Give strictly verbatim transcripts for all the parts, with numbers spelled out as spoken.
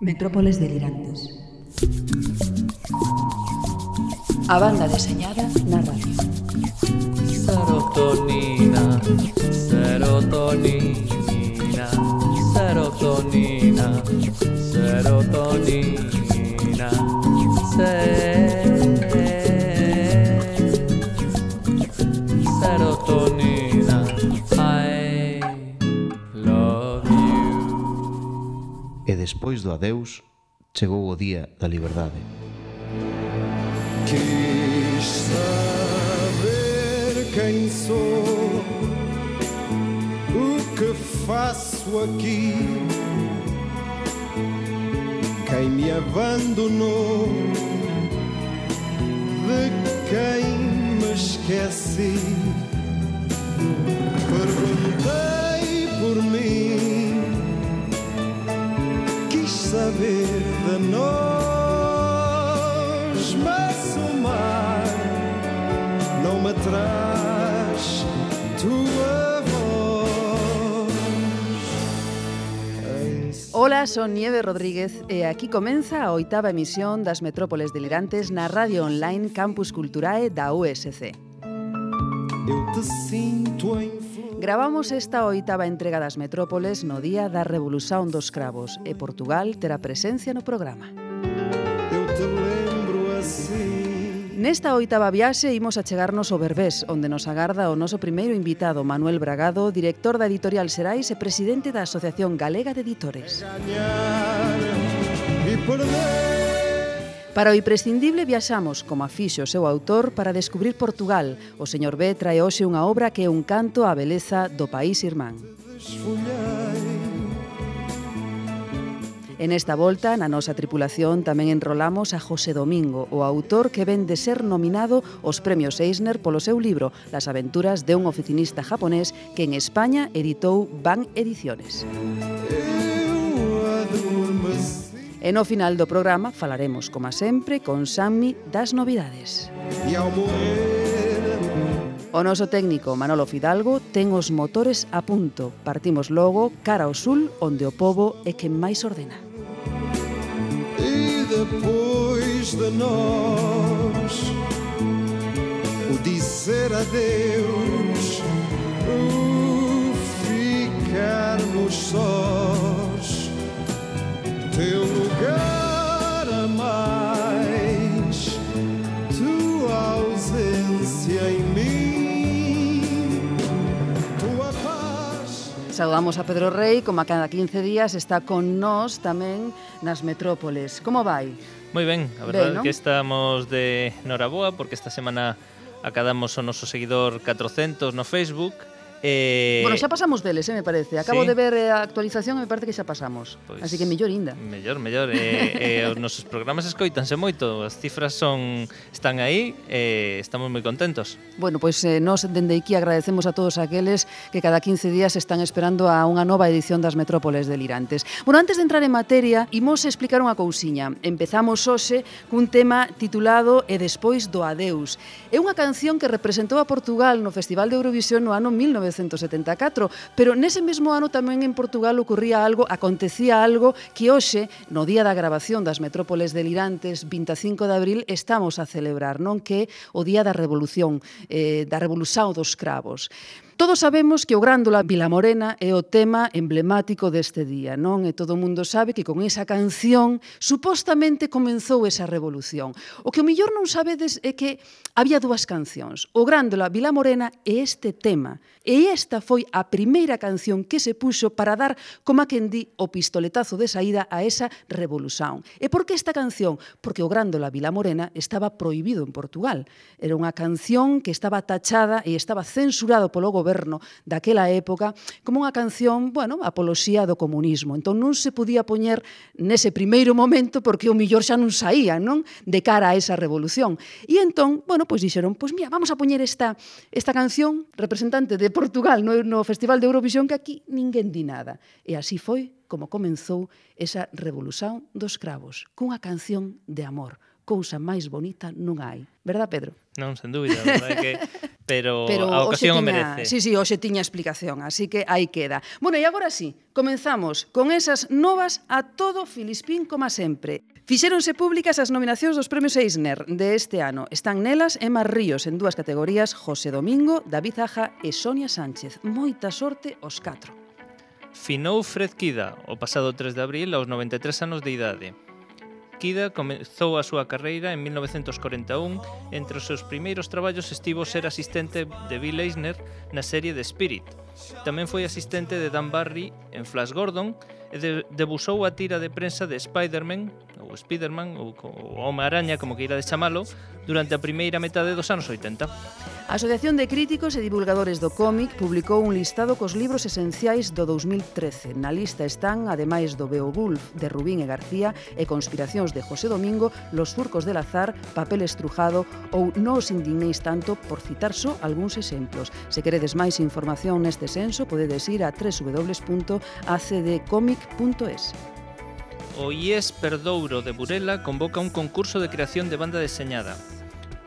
Metrópoles delirantes. A banda deseñada na radio. Serotonina, serotonina, serotonina, serotonina, se- serotonina, I love you. E despois do adeus, chegou o día da liberdade. Quis saber quem sou, o que faço aqui, quem me abandonou, de quem me esqueci. Perguntei por mim, quis saber de nós, mas o mar não me traz tua voz. Ola, son Nieve Rodríguez e aquí comeza a oitava emisión das Metrópoles Delirantes na radio online Campus Culturae da U S C. Eu te sinto em flor. Gravamos esta oitava entrega das Metrópoles no día da Revolución dos Cravos e Portugal terá presencia no programa. Eu te lembro assim. Nesta oitava viaxe imos a chegarnos ao Berbés, onde nos agarda o noso primeiro invitado, Manuel Bragado, director da Editorial Xerais e presidente da Asociación Galega de Editores. Ganhar e perder. Para o imprescindible viaxamos, como a fixo o seu autor, para descubrir Portugal. O señor B trae hoxe unha obra que é un canto á beleza do país irmán. Desfolhei. En esta volta, na nosa tripulación, tamén enrolamos a José Domingo, o autor que ven de ser nominado aos premios Eisner polo seu libro Las aventuras de un oficinista japonés que en España editou Ban Ediciones. Eu adormeci. E no final do programa falaremos, como sempre, con Sammy das novidades. E ao morrer, O noso técnico Manolo Fidalgo ten os motores a punto. Partimos logo cara ao sul, onde o pobo é quen máis ordena. e depois de nós, o dizer adeus, o ficarmos sós, teu lugar a mais, tua ausência em mim, tua paz. Saudamos a Pedro Rei, como a cada quince días está con nós tamén nas Metrópoles. Como vai? Moi ben, a verdade Ben, non? que estamos de noraboa porque esta semana acadamos o noso seguidor catrocentos no Facebook. Eh, Bueno, xa pasamos deles, eh, me parece. Acabo sí. de ver a actualización e me parece que xa pasamos. Pois, Así que mellor inda. Mellor, mellor. eh, eh, os nosos programas escoítanse moito, as cifras son están aí e eh, estamos moi contentos. Bueno, pois eh, nos dende aquí agradecemos a todos aqueles que cada quince días están esperando a unha nova edición das Metrópoles Delirantes. Bueno, antes de entrar en materia, imos explicar unha cousiña. Empezamos hoxe cun tema titulado E despois do adeus. É unha canción que representou a Portugal no Festival de Eurovisión no ano mil novecentos setenta e catro, pero nese mesmo ano tamén en Portugal ocurría algo, acontecía algo que hoxe, no día da grabación das Metrópoles Delirantes, vinte e cinco de abril, estamos a celebrar, non? Que é o día da Revolución, eh, da Revolución dos Cravos. Todos sabemos que o Grándola Vilamorena é o tema emblemático deste día, non? E todo o mundo sabe que con esa canción supostamente comenzou esa revolución. O que o millor non sabedes é que había dúas cancións, o Grándola Vilamorena e este tema. E esta foi a primeira canción que se puxo para dar, como a quen di, o pistoletazo de saída a esa revolución. E por que esta canción? Porque o Grándola Vilamorena estaba prohibido en Portugal. Era unha canción que estaba tachada e estaba censurado polo goberno daquela época como unha canción, bueno, apoloxía do comunismo. Entón non se podía poñer nese primeiro momento porque o millor xa non saía, non? De cara a esa revolución. E entón, bueno, pois dixeron, pois mira, vamos a poñer esta, esta canción representante de Portugal no, no Festival de Eurovisión que aquí ninguén di nada. E así foi como comenzou esa revolución dos cravos, cunha canción de amor. Cousa máis bonita non hai. Verdad, Pedro? Non, sen dúbida, a verdade é que pero, Pero a hoxe ocasión o tiña, merece. sí, sí, hoxe tiña explicación, así que aí queda. Bueno, e agora sí, comenzamos con esas novas a todo Filispín como sempre. Fixéronse públicas as nominacións dos premios Eisner de este ano. Están nelas Emma Ríos en dúas categorías, José Domingo, David Aja e Sonia Sánchez. Moita sorte aos catro. Finou Fred Kida o pasado tres de abril aos noventa e tres anos de idade. Kida comezou a súa carreira en mil novecentos corenta e un. Entre os seus primeiros traballos estivo ser asistente de Bill Eisner na serie The Spirit. Tamén foi asistente de Dan Barry en Flash Gordon e de, debusou a tira de prensa de Spider-Man, ou Spider-Man, ou, ou Home-Araña, como queirades chamalo, durante a primeira metade dos anos oitenta. A Asociación de Críticos e Divulgadores do Cómic publicou un listado cos libros esenciais do dous mil trece. Na lista están, ademais do Beowulf de Rubín e García e Conspiracións de José Domingo, Los surcos del azar, Papel estrujado ou No os indignéis tanto, por citar só algúns exemplos. Se queredes máis información neste senso, podedes ir a w w w punto a c d comic punto es. O I E S Perdouro de Burela convoca un concurso de creación de banda deseñada.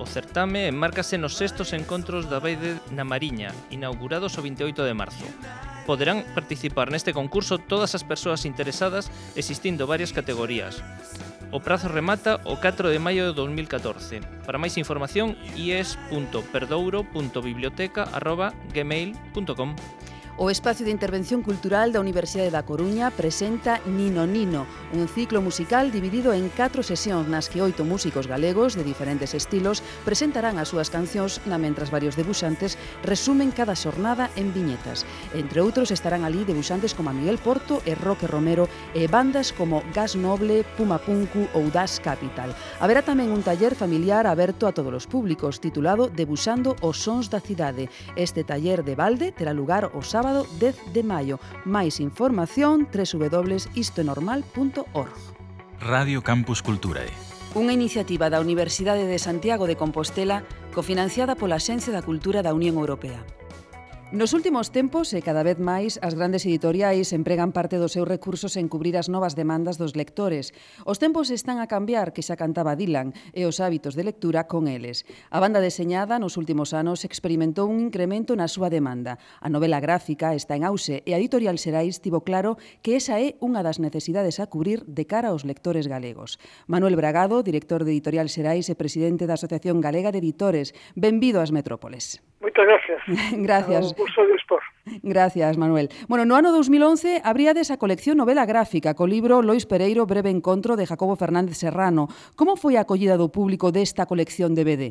O certame enmárcase nos sextos encontros da Baide na Mariña, inaugurados o vinte e oito de marzo. Poderán participar neste concurso todas as persoas interesadas, existindo varias categorías. O prazo remata o catro de maio de dos mil catorce. Para máis información, i e s punto perdouro punto biblioteca arroba gmail punto com. O Espacio de Intervención Cultural da Universidade da Coruña presenta Nino Nino, un ciclo musical dividido en catro sesións nas que oito músicos galegos de diferentes estilos presentarán as súas cancións na mentras varios debuxantes resumen cada xornada en viñetas. Entre outros estarán ali debuxantes como Miguel Porto e Roque Romero e bandas como Gas Noble, Puma Punku ou Das Capital. Haberá tamén un taller familiar aberto a todos os públicos titulado Debuxando os sons da cidade. Este taller de balde terá lugar o sábado dez de maio. Máis información w w w punto istoenormal punto org. Radio Campus Culturae. Unha iniciativa da Universidade de Santiago de Compostela cofinanciada pola Axencia da Cultura da Unión Europea. Nos últimos tempos, e cada vez máis, as grandes editoriais empregan parte dos seus recursos en cubrir as novas demandas dos lectores. Os tempos están a cambiar, que xa cantaba Dylan, e os hábitos de lectura con eles. A banda deseñada nos últimos anos experimentou un incremento na súa demanda. A novela gráfica está en auxe e a editorial Xerais tivo claro que esa é unha das necesidades a cubrir de cara aos lectores galegos. Manuel Bragado, director de Editorial Xerais e presidente da Asociación Galega de Editores. Benvido ás Metrópoles. Moitas gracias. Gracias. Un gusto de expor. Gracias, Manuel. Bueno, no ano dous mil once abríades a colección novela gráfica co libro Lois Pereiro, Breve encontro de Jacobo Fernández Serrano. Como foi a acollida do público desta colección de B D?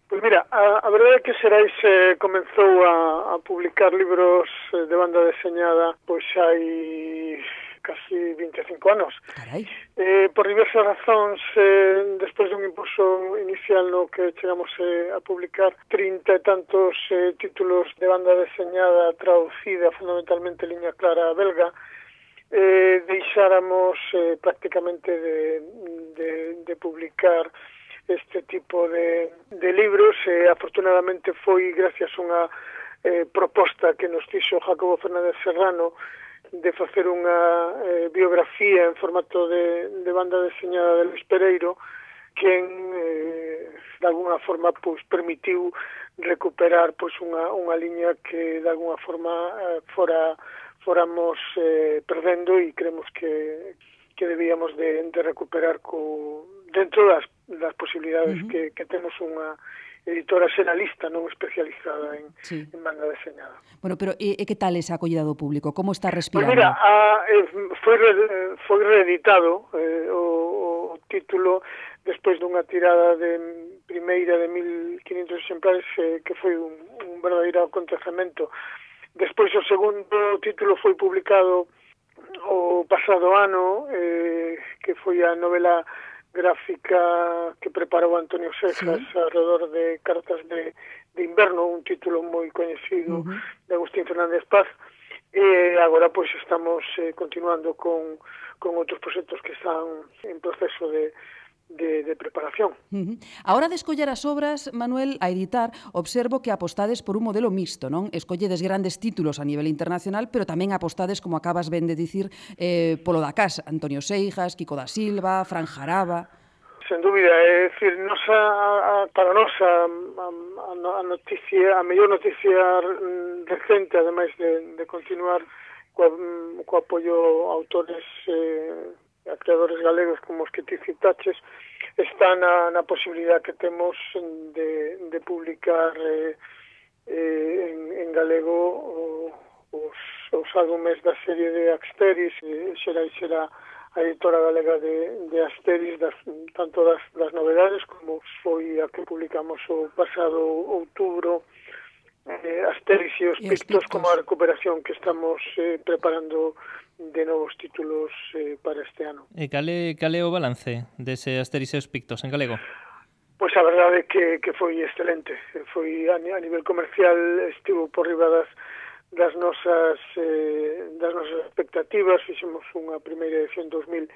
Pois mira, a, a verdade é que Xerais eh, comenzou a, a publicar libros eh, de banda deseñada pois hai casi vinte e cinco anos. Carai. Eh, por diversas razóns, eh, despois dun impulso inicial no que chegamos eh, a publicar trinta e tantos eh, títulos de banda deseñada traducida fundamentalmente en liña clara belga, eh, deixáramos eh, prácticamente de, de, de publicar este tipo de, de libros. Eh, afortunadamente foi gracias a unha eh, proposta que nos fixo Jacobo Fernández Serrano de facer unha eh, biografía en formato de, de banda deseñada de Lois Pereiro, quen eh, de alguna forma pois permitiu recuperar pois unha unha liña que de alguna forma eh, fora foramos eh, perdendo e creemos que que debíamos de, de recuperar co dentro das das posibilidades uh -huh. que que temos unha editora xeralista non especializada en, sí. en banda deseñada. Bueno, pero e, e que tal esa acollida do público? Como está respirando? Pois mira, a, eh, foi, re, foi reeditado eh, o, o título despois dunha tirada de primeira de mil quinhentos exemplares eh, que foi un, un verdadeiro acontecemento. Despois o segundo título foi publicado o pasado ano, eh, que foi a novela gráfica que preparou Antonio Sejas sí. alrededor de Cartas de, de Inverno, un título moi coñecido uh -huh. de Agustín Fernández Paz, e agora pois estamos eh, continuando con, con outros proxectos que están en proceso de De, de preparación. Uh -huh. A hora de escoller as obras, Manuel, a editar, observo que apostades por un modelo mixto, non? Escolledes grandes títulos a nivel internacional, pero tamén apostades, como acabas ben de dicir, eh, polo da casa, Antonio Seijas, Kiko da Silva, Fran Jaraba... Sen dúbida, é dicir, nosa, a, para nós a, a, a noticia, a mellor noticia recente, ademais de, de continuar co, co apoio a autores eh, a creadores galegos como os que ti citaches, está na, na posibilidad que temos de, de publicar eh, eh, en, en galego o, os, os álbumes da serie de Asteris, eh, xera e xera a editora galega de, de Asteris, das, tanto das, das novedades como foi a que publicamos o pasado outubro, eh, Asteris e os Pictos, como a recuperación que estamos eh, preparando de novos títulos eh, para este ano. E cale, cale o balance dese Asteris e os Pictos en galego? Pois a verdade é que, que foi excelente. Foi a, a nivel comercial estivo por riba das das nosas eh, das nosas expectativas. Fixemos unha primeira edición de dos mil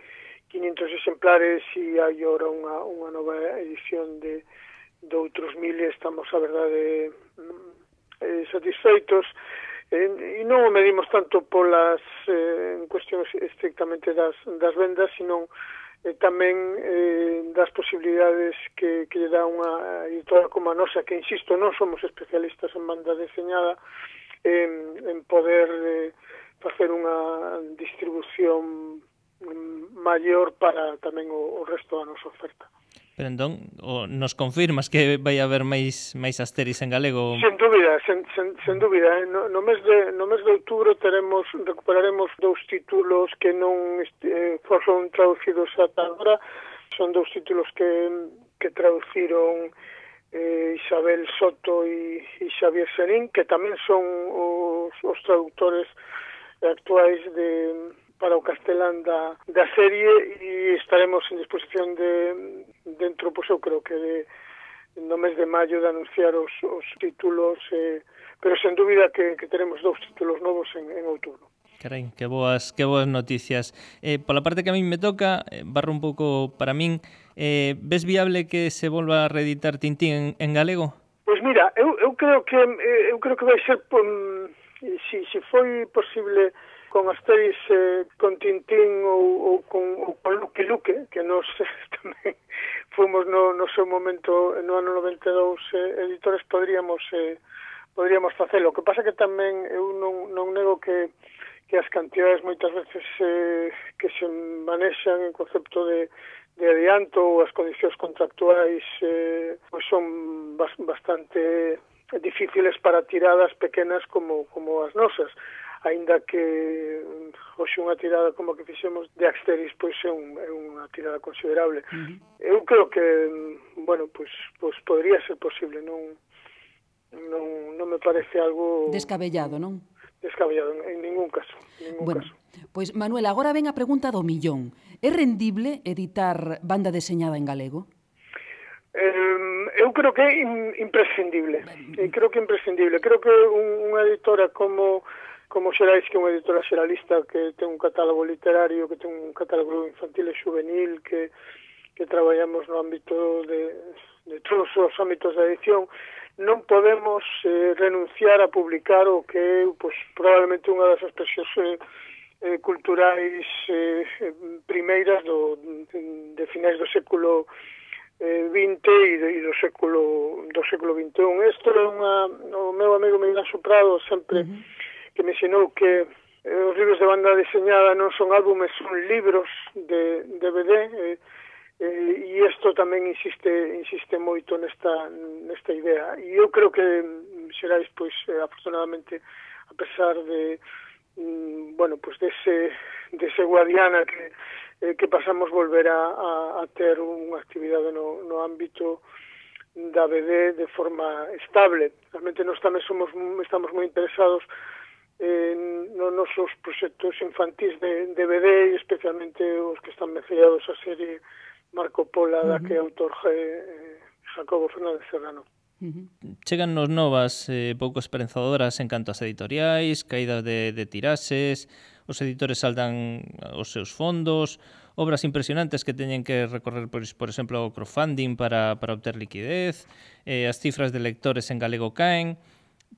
quinhentos exemplares e hai agora unha, unha nova edición de, de outros mil e estamos, a verdade, eh, satisfeitos. Eh, e non o medimos tanto polas eh, en cuestións estrictamente das, das vendas, sino eh, tamén eh, das posibilidades que, que lle dá unha editora como a nosa, que, insisto, non somos especialistas en banda deseñada, En, en poder eh, facer unha distribución maior para tamén o, o resto da nosa oferta. Pero entón, o, nos confirmas que vai haber máis máis Asteris en galego? Sen dúbida, sen, sen, sen dúbida. Eh? No, no, mes de, no mes de outubro teremos, recuperaremos dous títulos que non eh, foron traducidos ata agora. Son dous títulos que, que traduciron Eh, Isabel Soto e, e Xavier Serín, que tamén son os, os traductores actuais de, para o castelán da, da serie, e estaremos en disposición de, dentro, pois eu creo que de, no mes de maio, de anunciar os, os títulos, eh, pero sen dúbida que, que teremos dous títulos novos en, en outubro. Carai, que boas, que boas noticias. Eh, pola parte que a min me toca, eh, barro un pouco para min, eh, ves viable que se volva a reeditar Tintín en, en galego? Pois mira, eu, eu creo que eu creo que vai ser, um, si, si foi posible con Asteris, eh, con Tintín ou, ou con, ou con Lucky Luke, que nos tamén fomos no, no seu momento, no ano noventa e dous, eh, editores, podríamos eh, podríamos facelo. O que pasa que tamén eu non, non nego que que as cantidades moitas veces eh, que se manexan en concepto de, de adianto ou as condicións contractuais eh, pois son bas, bastante difíciles para tiradas pequenas como, como as nosas, aínda que hoxe unha tirada como a que fixemos de Asteris pois é, un, é unha tirada considerable. Uh-huh. Eu creo que, bueno, pois, pois podría ser posible, non, non, non me parece algo descabellado, non? Descabellado, en ningún caso, en ningún bueno, caso. Pois, Manuel, agora ven a pregunta do millón. É rendible editar banda deseñada en galego? Eh, eu creo que é imprescindible. Eh, creo que é imprescindible. Creo que un, unha editora como como Xerais, que é unha editora xeralista que ten un catálogo literario, que ten un catálogo infantil e juvenil, que, que traballamos no ámbito de, de todos os ámbitos da edición, non podemos eh, renunciar a publicar o que é, pois, probablemente unha das expresións eh, eh, culturais eh, primeiras do, de, de finais do século eh, vinte e, de, e do século do século vinte e un. Isto é unha, o meu amigo Miguel Soprado sempre uh-huh. que me ensinou que eh, os libros de banda deseñada non son álbumes, son libros de D V D, eh, Eh, e isto tamén insiste insiste moito nesta nesta idea, e eu creo que Xerais, pois, eh, afortunadamente, a pesar de mm, bueno, pois dese dese Guadiana que eh, que pasamos volver a, a, a ter unha actividade no, no ámbito da B D de forma estable. Realmente nós tamén somos estamos moi interesados en nos nosos proxectos infantís de, de B D, e especialmente os que están mecellados a serie Marco Polo, da que é autor eh, Jacobo Fernández Serrano. Uh-huh. Chegan nos novas eh, pouco esperanzadoras en canto ás editoriais, caídas de, de tirases, os editores saldan os seus fondos, obras impresionantes que teñen que recorrer, por, por exemplo, o crowdfunding para, para obter liquidez, eh, as cifras de lectores en galego caen.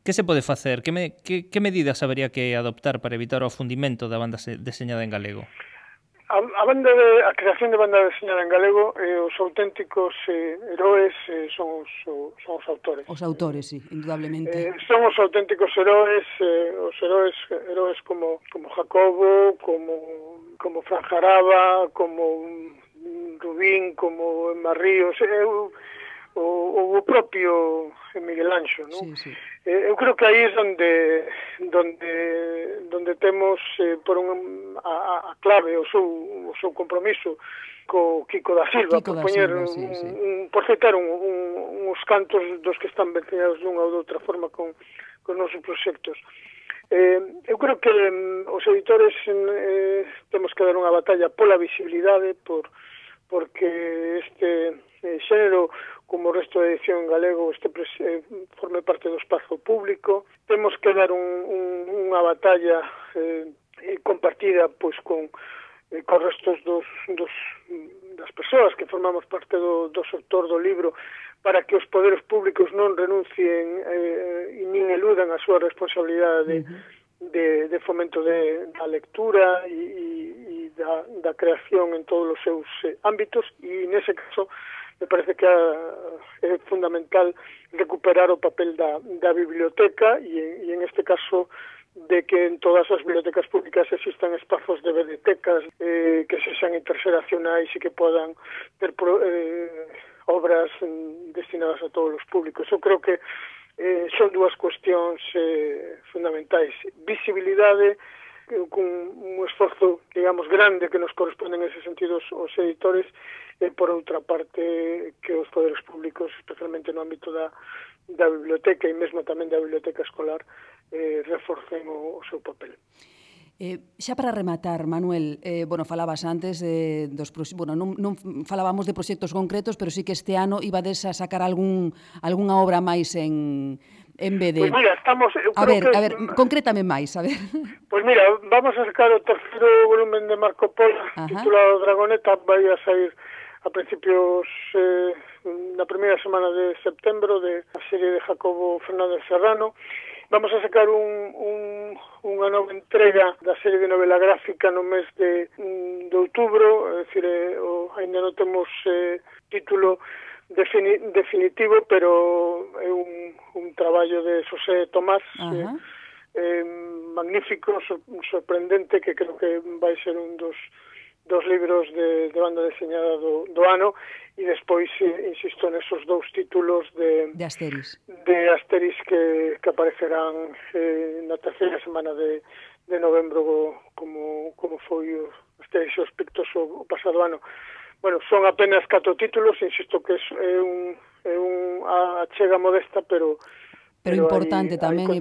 Que se pode facer? Que, me, que, que medidas habería que adoptar para evitar o afundimento da banda deseñada en galego? a, a banda de, a creación de banda deseñada en galego, eh, os auténticos eh, heróis eh, son, os, son os autores. Os autores, sí, indudablemente. Eh, son os auténticos heróis, eh, os heróis, heróis como, como Jacobo, como, como Fran Jaraba, como Rubín, como Emma Ríos, eh, o, o, o propio Miguel Anxo, non? Sí, sí. Eh, eu creo que aí é onde donde donde temos eh, por un, a, a clave o seu, o seu compromiso co Kiko da Silva, Kiko por da poñer Silva, un, sí, sí. un, por citar un, un, uns cantos dos que están vencinados dunha ou de outra forma con, con nosos proxectos. Eh, eu creo que um, os editores eh, temos que dar unha batalla pola visibilidade, por porque este eh, xénero, como o resto da edición en galego, este eh, forme parte do espazo público. Temos que dar un, un, unha batalla eh, compartida pois con eh, con restos dos, dos das persoas que formamos parte do, do sector do libro, para que os poderes públicos non renuncien eh, e nin eludan a súa responsabilidade de, uh-huh. de, de fomento de, da lectura e, e, e da, da creación en todos os seus eh, ámbitos, e nese caso me parece que é fundamental recuperar o papel da, da biblioteca e, e en este caso de que en todas as bibliotecas públicas existan espazos de bibliotecas eh, que sexan interxeracionais e que podan ter eh, obras destinadas a todos os públicos. Eu creo que eh, son dúas cuestións eh, fundamentais. Visibilidade, eh, con un esforzo, digamos, grande que nos corresponde en ese sentido os editores, e por outra parte que os poderes públicos, especialmente no ámbito da, da biblioteca e mesmo tamén da biblioteca escolar, eh, reforcen o, o seu papel. Eh, xa para rematar, Manuel, eh, bueno, falabas antes de, dos, bueno, non, non falábamos de proxectos concretos, pero sí que este ano ibades a sacar algún, algunha obra máis en, en B D. Pois mira, estamos... A ver, que, a ver, concrétame máis, a ver. Pois mira, vamos a sacar o terceiro volumen de Marco Polo, Ajá. titulado Dragoneta, vai a sair a principios eh, na primeira semana de setembro, de a serie de Jacobo Fernández Serrano. Vamos a sacar un, un, unha nova entrega da serie de novela gráfica no mes de, de outubro, é dicir, eh, o, ainda non temos eh, título defini, definitivo, pero é un, un traballo de Xosé Tomás, eh, eh, magnífico, sor, sorprendente, que creo que vai ser un dos dos libros de, de banda deseñada do, do ano, e despois, eh, insisto, nesos dous títulos de, de Asteris, de Asteris que, que aparecerán eh, na terceira semana de, de novembro, como, como foi o Asteris e os Pictos o, o pasado ano. Bueno, son apenas catro títulos, insisto que é un, é un a chega modesta, pero pero importante aí, tamén aí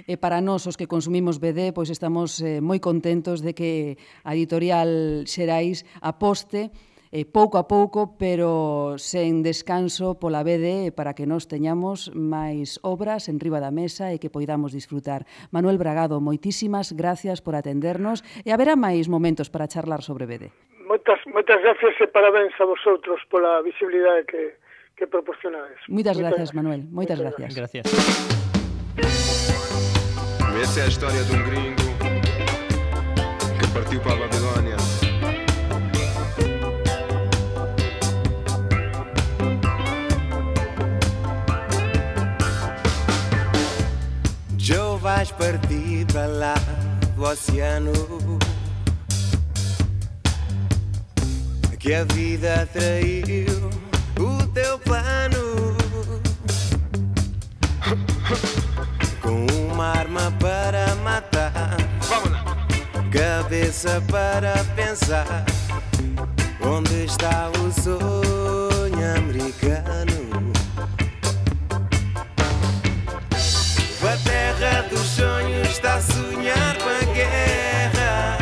e, e para nós os que consumimos B D, pois estamos eh, moi contentos de que a editorial Xerais aposte eh, pouco a pouco, pero sen descanso pola B D, para que nós teñamos máis obras en riba da mesa e que poidamos disfrutar. Manuel Bragado, moitísimas gracias por atendernos, e haberá máis momentos para charlar sobre B D. Moitas, moitas gracias e parabéns a vosotros pola visibilidade que que proporcionades. Muitas gracias, Manuel. Moitas gracias. Gracias. Essa é a história de um gringo que partiu para a Babilônia. Joe, vais partir para lá do oceano, que a vida traiu o teu plano, com uma arma para matar, cabeça para pensar, onde está o sonho americano? A terra dos sonhos está a sonhar com a guerra,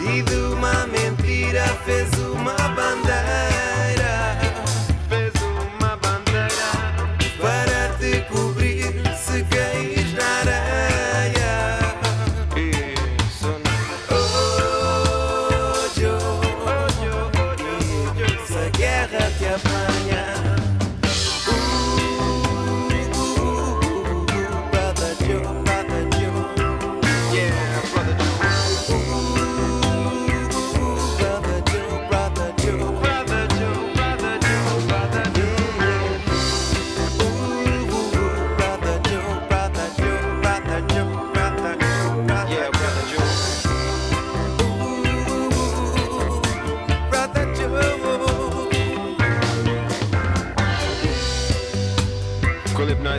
e de uma mentira fez uma bandeira, fez uma bandeira para te cobrir se caís na areia. Isso não. Oh, Joe, oh, Joe, oh, Joe,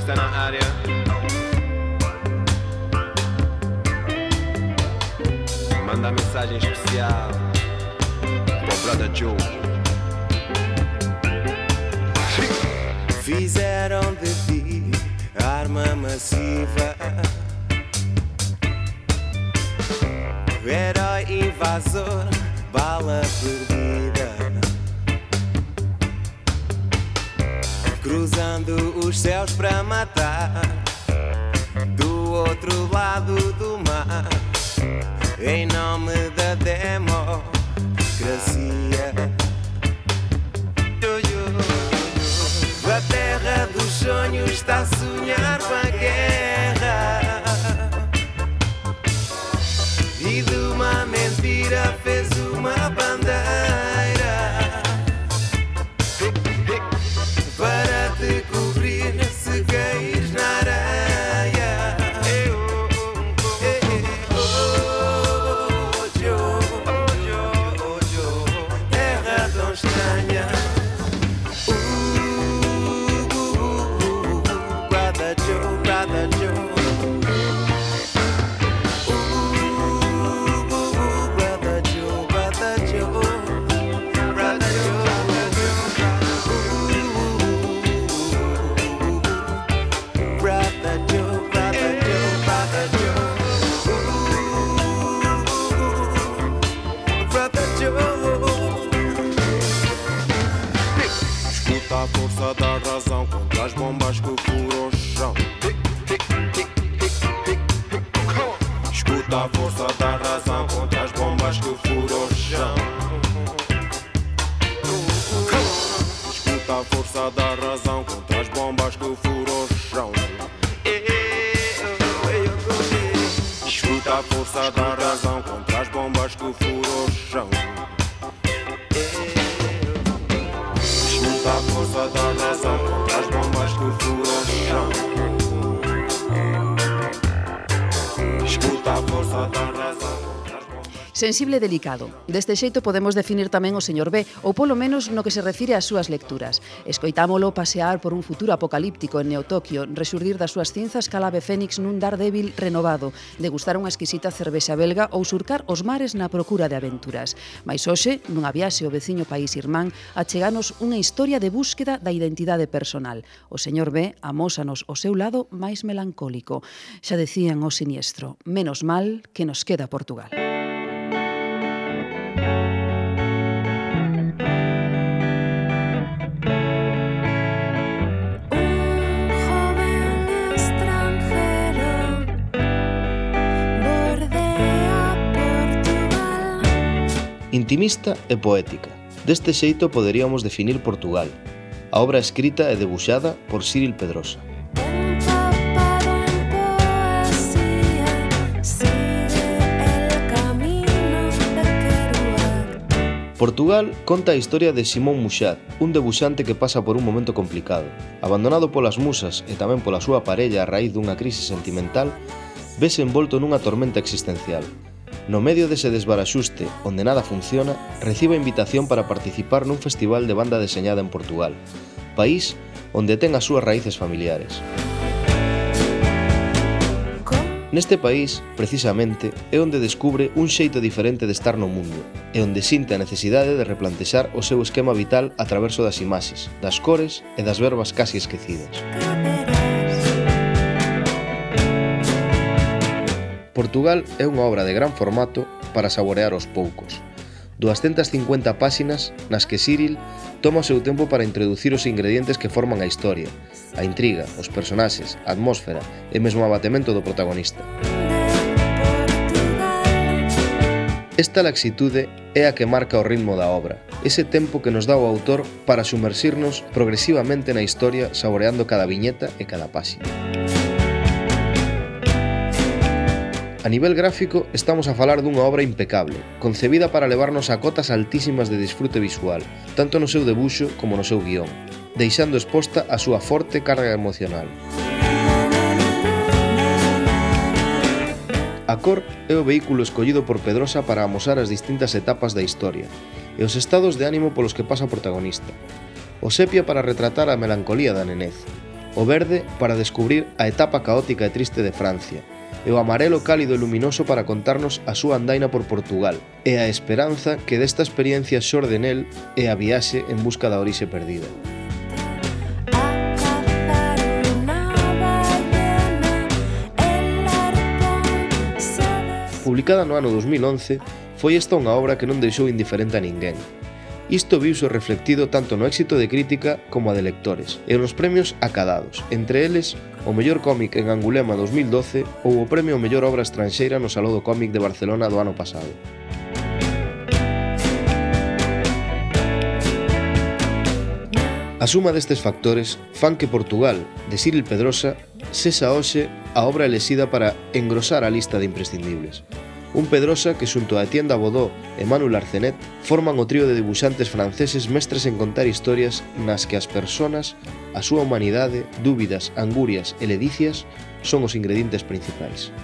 está na área. Manda mensagem especial pro Brother Joe. Fizeram de ti arma massiva, herói invasor, bala perdida, cruzando os céus para matar, do outro lado do mar, em nome da democracia. A terra dos sonhos está a sonhar com a guerra, e de uma mentira fez uma bandeira para te cobrir se caís na areia. Oh, Joe, oh, Joe, oh, Joe, terra tão estranha. Brother Joe, ooh, Brother Joe, Brother Joe, Brother Joe, ooh, Brother Joe, Brother Joe, Brother Joe, ooh, Brother Joe. Escuta a força da razão contra as bombas que furam o chão. Escuta a força da razão contra as bombas que furam o chão. Escuta a força da razão contra as bombas que furam o chão. Escuta a força da razão contra as bombas que furam o chão. Escuta a força da razão contra as bombas que furam o chão. Escuta a força da razão. Sensible e delicado. Deste xeito podemos definir tamén o señor B, ou polo menos no que se refire ás súas lecturas. Escoitámolo pasear por un futuro apocalíptico en Neotokio, resurdir das súas cinzas cal ave fénix nun Daredevil renovado, degustar unha exquisita cervexa belga ou surcar os mares na procura de aventuras. Mais hoxe, nunha viaxe ao veciño país irmán, acheganos unha historia de búsqueda da identidade personal. O señor B amósanos o seu lado máis melancólico. Xa decían o siniestro, menos mal que nos queda Portugal. Intimista e poética. Deste xeito poderíamos definir Portugal. A obra escrita e debuxada por Cyril Pedrosa. Portugal conta a historia de Simón Muxat, un debuxante que pasa por un momento complicado. Abandonado polas musas e tamén pola súa parella a raíz dunha crise sentimental, vese envolto nunha tormenta existencial. No medio dese desbaraxuste, onde nada funciona, recibe a invitación para participar nun festival de banda deseñada en Portugal, país onde ten as súas raíces familiares. Neste país, precisamente, é onde descubre un xeito diferente de estar no mundo, e onde sinte a necesidade de replantexar o seu esquema vital a traverso das imaxes, das cores e das verbas casi esquecidas. Portugal é unha obra de gran formato para saborear aos poucos. duascentas cincuenta páxinas nas que Cyril toma o seu tempo para introducir os ingredientes que forman a historia, a intriga, os personaxes, a atmósfera e mesmo o abatemento do protagonista. Esta laxitude é a que marca o ritmo da obra, ese tempo que nos dá o autor para sumersirnos progresivamente na historia saboreando cada viñeta e cada páxina. A nivel gráfico, estamos a falar dunha obra impecable, concebida para levarnos a cotas altísimas de disfrute visual, tanto no seu debuxo como no seu guión, deixando exposta a súa forte carga emocional. A cor é o vehículo escollido por Pedrosa para amosar as distintas etapas da historia e os estados de ánimo polos que pasa o protagonista. O sepia para retratar a melancolía da nenez, o verde para descubrir a etapa caótica e triste de Francia, e o amarelo cálido e luminoso para contarnos a súa andaina por Portugal, e a esperanza que desta experiencia xorde nel é a viaxe en busca da orixe perdida. Publicada no ano dos mil once, foi esta unha obra que non deixou indiferente a ninguén. Isto viuse reflectido tanto no éxito de crítica como a de lectores, e nos premios acadados, entre eles o mellor cómic en Angulema dos mil doce ou o premio ao mellor obra estranxeira no Salón do Cómic de Barcelona do ano pasado. A suma destes factores fan que Portugal, de Cyril Pedrosa, sexa hoxe a obra elexida para engrosar a lista de imprescindibles. Un Pedrosa que xunto a Etienne Dabodó e Manuel Arcenet forman o trío de dibuixantes franceses mestres en contar historias nas que as persoas, a súa humanidade, dúbidas, angurias e ledicias son os ingredientes principais.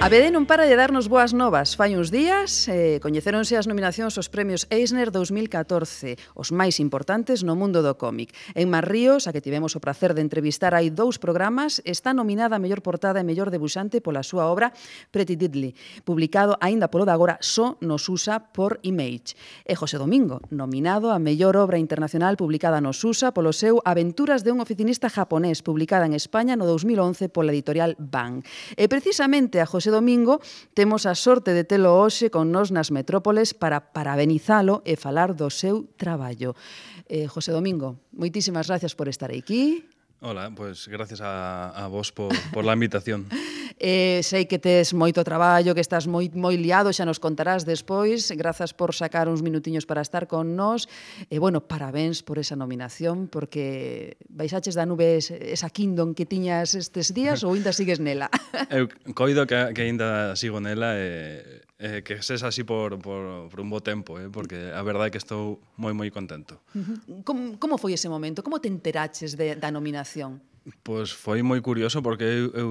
A B D non para de darnos boas novas. Fai uns días eh, coñeceronse as nominacións aos premios Eisner dos mil catorce, os máis importantes no mundo do cómic. En Mar Ríos, a que tivemos o placer de entrevistar hai dous programas, está nominada a mellor portada e mellor debuxante pola súa obra Pretty Deadly, publicado aínda polo de agora só nos U S A por Image. E José Domingo, nominado a mellor obra internacional publicada nos U S A polo seu Aventuras de un oficinista japonés, publicada en España no dos mil once pola editorial Bang. E precisamente a José Domingo temos a sorte de telo hoxe con nos nas metrópoles para parabenizalo e falar do seu traballo. Eh, José Domingo, moitísimas gracias por estar aquí. Hola, pues gracias a, a vos por, por la invitación. Eh, sei que tes moito traballo, que estás moi, moi liado, xa nos contarás despois. Grazas por sacar uns minutiños para estar con nós. E, bueno, parabéns por esa nominación, porque baixaches da nube esa Kingdom que tiñas estes días ou ainda sigues nela? Eu coido que, que ainda sigo nela e eh, que sexa así por, por, por un bo tempo, eh, porque a verdade é que estou moi, moi contento. Uh-huh. Como, como foi ese momento? Como te enteraches de, da nominación? Pois foi moi curioso porque eu, eu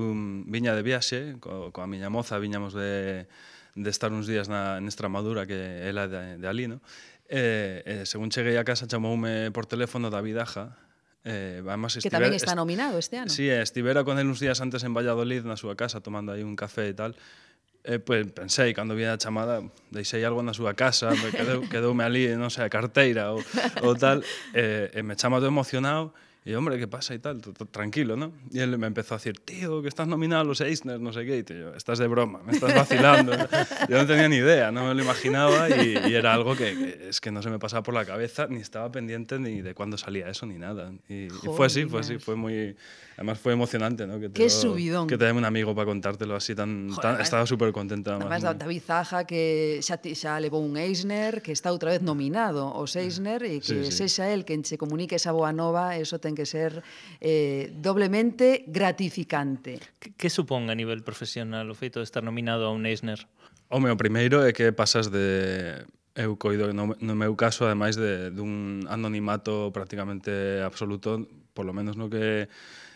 viña de viaxe co, coa miña moza, viñamos de, de estar uns días na, en Extremadura, que ela de, de ali, no? E, e según cheguei a casa chamoume por teléfono David Aja, eh, además, que tamén está nominado este ano. Sí, estivera con el uns días antes en Valladolid na súa casa tomando aí un café e tal. E, pues, pensei, cando vi a chamada, deixei algo na súa casa, quedou, quedoume ali, non sei, a carteira ou, ou tal, e, e me chama todo emocionado. E, hombre, ¿qué pasa? Y tal, tranquilo, ¿no? Y él me empezó a decir, tío, que estás nominado a los Eisner, no sé qué. Y yo, estás de broma, me estás vacilando. Yo no tenía ni idea, no me lo imaginaba y, y era algo que, que es que no se me pasaba por la cabeza, ni estaba pendiente ni de cuándo salía eso, ni nada. Y, y fue así, fue así, fue muy... Además fue emocionante, ¿no? Que te Qué lo, subidón. Que te dé un amigo para contártelo así tan... Joder, tan estaba súper contenta. Además, ¿no? David Zaja, que xa, xa levou un Eisner, que está outra vez nominado aos Eisner, e que sí, sí. sexa el quen se comunique esa boa nova, eso ten que ser eh, doblemente gratificante. Que, que supón a nivel profesional o feito de estar nominado a un Eisner? Home, o primeiro é que pasas de... Eu coido, no, no meu caso, ademais de, dun anonimato prácticamente absoluto, por lo menos no que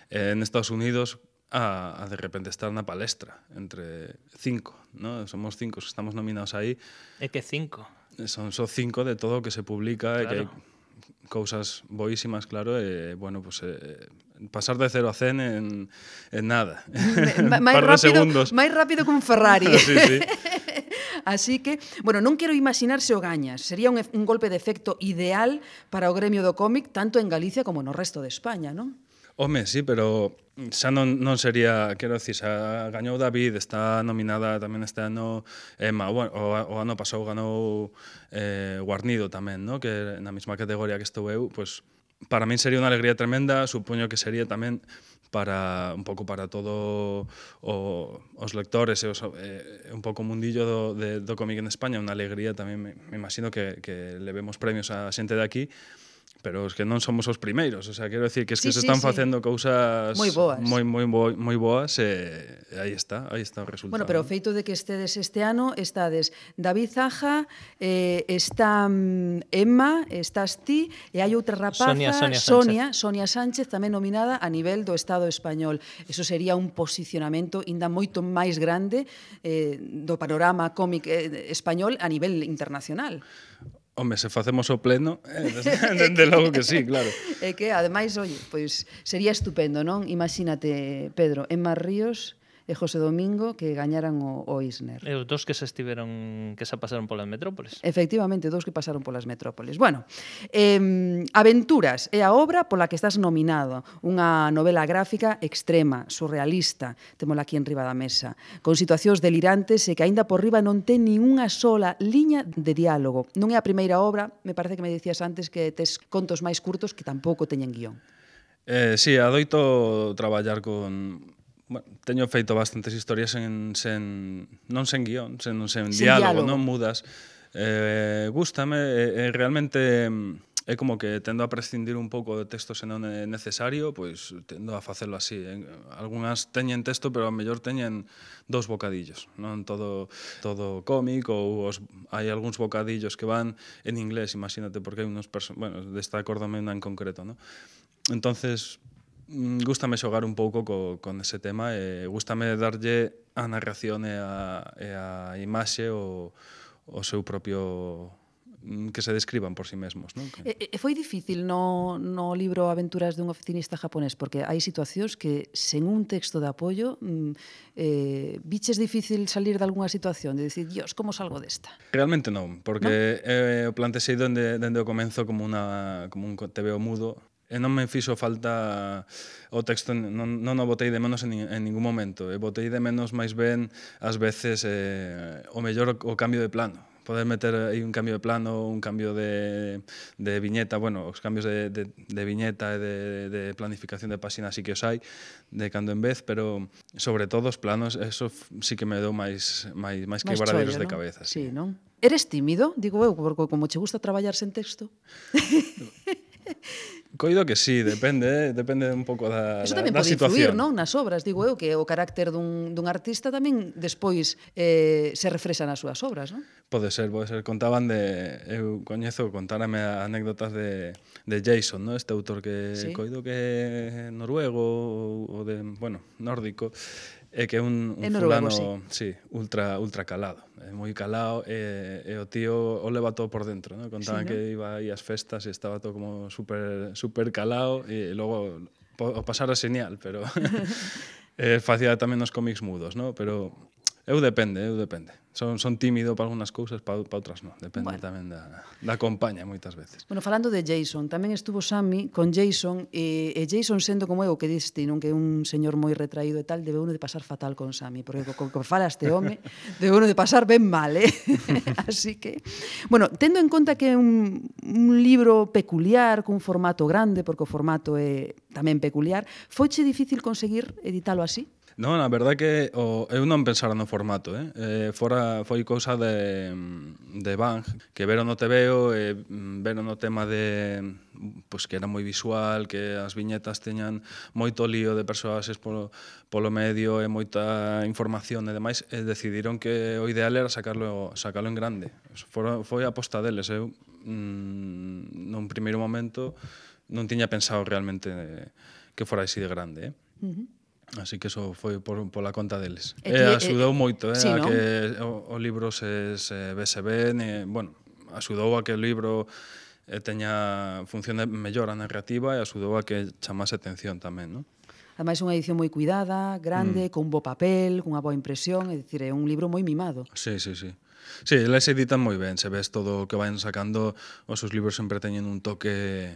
eh, en Estados Unidos, a, a de repente estar na palestra entre cinco, ¿no? Somos cinco que estamos nominados aí. É que cinco? Son só cinco de todo o que se publica, claro. E que hai cousas boísimas, claro, e, bueno, pues, eh, pasar de cero a cen en, en nada. Un par de segundos. Máis rápido que un Ferrari. Sí, sí. Así que, bueno, non quero imaginar se o gañas. Sería un, un golpe de efecto ideal para o gremio do cómic, tanto en Galicia como no resto de España, non? Home, sí, pero xa non, non sería, quero dicir, xa gañou David, está nominada tamén este ano Emma, bueno, o, o ano pasou ganou eh, Guarnido tamén, ¿no? Que na mesma categoría que estou eu, pues, para min sería unha alegría tremenda, supoño que sería tamén para un pouco para todo o, os lectores e os, eh, un pouco o mundillo do, de, do cómic en España, unha alegría tamén, me, me imagino que, que levemos premios a xente de aquí, pero es que non somos os primeiros, o sea, quero decir que es que Sí, se sí, están sí. facendo cousas Moi boas. moi moi bo- moi boas e e aí está, aí está o resultado. Bueno, pero o feito de que estedes este ano, estades David Zaja, eh, está mm, Emma, estás ti, e hai outra rapaza, Sonia- Sonia Sonia, Sonia Sánchez, tamén nominada a nivel do Estado español. Eso sería un posicionamento ainda moito máis grande eh, do panorama cómic eh, español a nivel internacional. Home, se facemos o pleno, eh, desde, desde logo que sí, claro. E que, ademais, oye, pois sería estupendo, non? Imagínate, Pedro, Emma Ríos e José Domingo que gañaran o, o Eisner. E os dos que se estiveron, que se pasaron polas metrópoles. Efectivamente, dous que pasaron polas metrópoles. Bueno, eh, Aventuras é a obra pola que estás nominado. Unha novela gráfica extrema, surrealista, temola aquí en riba da mesa, con situacións delirantes e que aínda por riba non ten nin unha sola liña de diálogo. Non é a primeira obra, me parece que me dicías antes que tes contos máis curtos que tampouco teñen guión. Eh, sí, adoito traballar con... Bueno, teño feito bastantes historias en, sen, non sen guión, sen, sen, Sen diálogo, diálogo. non mudas. Eh, gústame, e, e realmente é como que tendo a prescindir un pouco de texto se non é necesario, pois tendo a facelo así. En, algunhas teñen texto, pero a mellor teñen dous bocadillos, non todo todo cómic, ou os, hai algúns bocadillos que van en inglés, imagínate, porque hai unos perso- bueno, desta acórdame unha en concreto, non? Entonces, gústame xogar un pouco co, con ese tema e gústame darlle a narración e a, e a imaxe o, o seu propio que se describan por si mesmos, non? Que... E, e foi difícil no, no libro Aventuras dun oficinista japonés, porque hai situacións que sen un texto de apoio mm, eh, biches difícil salir de algunha situación, de dicir, dios, como salgo desta? Realmente non, porque ¿no? eh, o plantexei dende, dende o comenzo como, una, como un T V O mudo, e non me fixo falta o texto, non, non o botei de menos en, en ningún momento, e botei de menos máis ben ás veces eh, o mellor o cambio de plano, poder meter aí un cambio de plano, un cambio de, de viñeta, bueno, os cambios de, de, de viñeta e de, de planificación de páxina sí que os hai, de cando en vez, pero sobre todo os planos, eso sí que me deu máis, máis, máis quebradeiros de cabeza. Sí, sí, non? Eres tímido, digo eu, porque como che gusta traballar sen texto... Coido que sí, depende, eh? depende un pouco da, Eso da, tamén da pode situación. influir, non? Nas obras, digo eu, que o carácter dun, dun artista tamén despois eh, se refrexa nas súas obras, non? Pode ser, pode ser. Contaban de... Eu coñezo, contárame anécdotas de, de Jason, ¿no? Este autor que sí. coido que é noruego ou de, bueno, nórdico, é que é un, un noruego, fulano, sí. sí, ultra ultra calado, é moi calado e, e o tío o leva todo por dentro, ¿no? Contaban sí, ¿no? que iba aí ás festas e estaba todo como super super calado e logo o pasara genial, pero eh, facía tamén os cómics mudos, ¿no? Pero eu depende, eu depende. Son, son tímido para algunhas cousas, para, para outras non. Depende bueno. tamén da, da compañía moitas veces. Bueno, falando de Jason, tamén estuvo Sammy con Jason, e, e Jason sendo como eu, que diste, non que é un señor moi retraído e tal, debe uno de pasar fatal con Sammy, porque co que fala este home, debe uno de pasar ben mal, eh? Así que... Bueno, tendo en conta que é un, un libro peculiar, cun formato grande, porque o formato é tamén peculiar, foiche difícil conseguir editalo así? Non, a verdade que o, eu non pensara no formato, eh? eh fora foi cousa de, de Bang, que veron no T V O e veron no tema de pois que era moi visual, que as viñetas teñan moito lío de persoaxes polo, polo medio e moita información e demais, e decidiron que o ideal era sacarlo, sacarlo en grande. Fora, foi a aposta deles. Eu, mm, nun primeiro momento, non tiña pensado realmente que fora así de grande, eh? Uh-huh. Así que eso foi por, pola conta deles. E, e axudou eh, moito, eh, sí, a ¿no? que o, o libro se, se vese ben, e, bueno, axudou a que o libro eh, teña función mellor a narrativa e axudou a que chamase atención tamén, non? Ademais, unha edición moi cuidada, grande, mm. con bo papel, con unha boa impresión, é dicir, é un libro moi mimado. Sí, sí, sí. Sí, eles editan moi ben, se ves todo o que van sacando, os seus libros sempre teñen un toque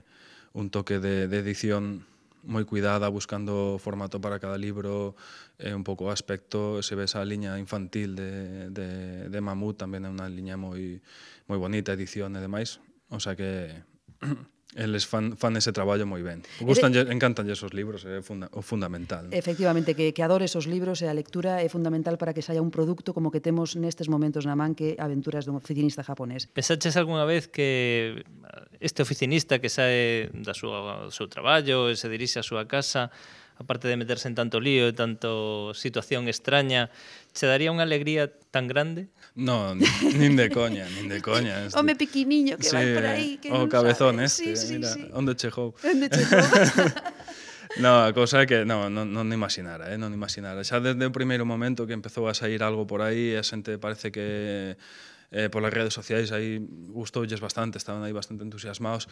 un toque de, de edición moi cuidada, buscando formato para cada libro, e un pouco o aspecto, se ves a liña infantil de, de, de Mamut, tamén é unha liña moi moi bonita, edición e demais, o sea que eles fan, fan ese traballo moi ben. Gustan, encantanlle esos libros, é funda, o fundamental. ¿no? Efectivamente, que, que adores os libros e a lectura é fundamental para que saia un produto como que temos nestes momentos na man, que Aventuras dun oficinista japonés. Pensaches algunha vez que este oficinista que sae da súa, do seu traballo e se dirixe á súa casa, aparte de meterse en tanto lío e tanto situación extraña, che daría unha alegría tan grande? No, nin de coña, nin de coña. Este. Home piquiniño que sí, vai por aí, que o non cabezón sabe. este, sí, sí, mira, sí. onde chegou. Onde chegou. No, a cousa é que non, non, non imaginara, eh, non imaginara. Xa desde o primeiro momento que empezou a sair algo por aí, a xente parece que eh, polas redes sociais aí gustoulles bastante, estaban aí bastante entusiasmados.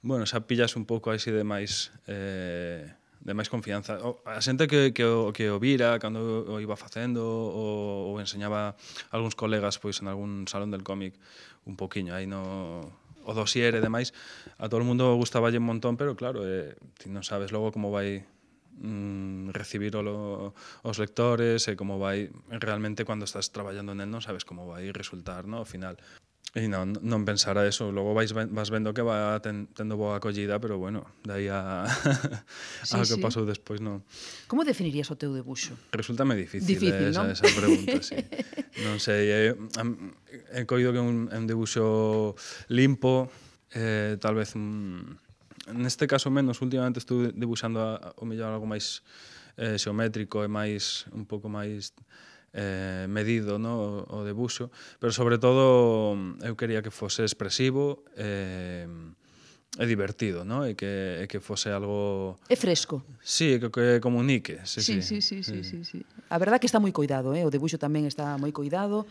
Bueno, xa pillas un pouco así de máis... Eh, de máis confianza. A xente que, que, o, que o vira cando o iba facendo ou, ou enseñaba a algúns colegas pois en algún salón del cómic un poquinho aí no o dossier e demais, a todo o mundo gustaballe un montón, pero claro, eh, ti non sabes logo como vai mm, recibir o, os lectores e como vai realmente cando estás traballando nel non sabes como vai resultar, no, ao final. E non, non pensar a eso, logo vais, vas vendo que va ten, tendo boa acollida, pero bueno, dai a, sí, a que sí. pasou despois non. Como definirías o teu debuxo? Resultame difícil, difícil esa, non? esa pregunta, sí. Non sei, é, he coido que é un, un debuxo limpo, eh, tal vez un, neste caso menos, últimamente estou debuxando a, o mellor algo máis eh, xeométrico e máis un pouco máis eh, medido, no, o, o debuxo, pero sobre todo eu quería que fose expresivo eh, e divertido, no? E que, e que fose algo... É fresco. Sí, que, que comunique. Sí, sí, sí, sí, sí, sí, sí, sí. A verdad que está moi coidado, eh? O debuxo tamén está moi coidado.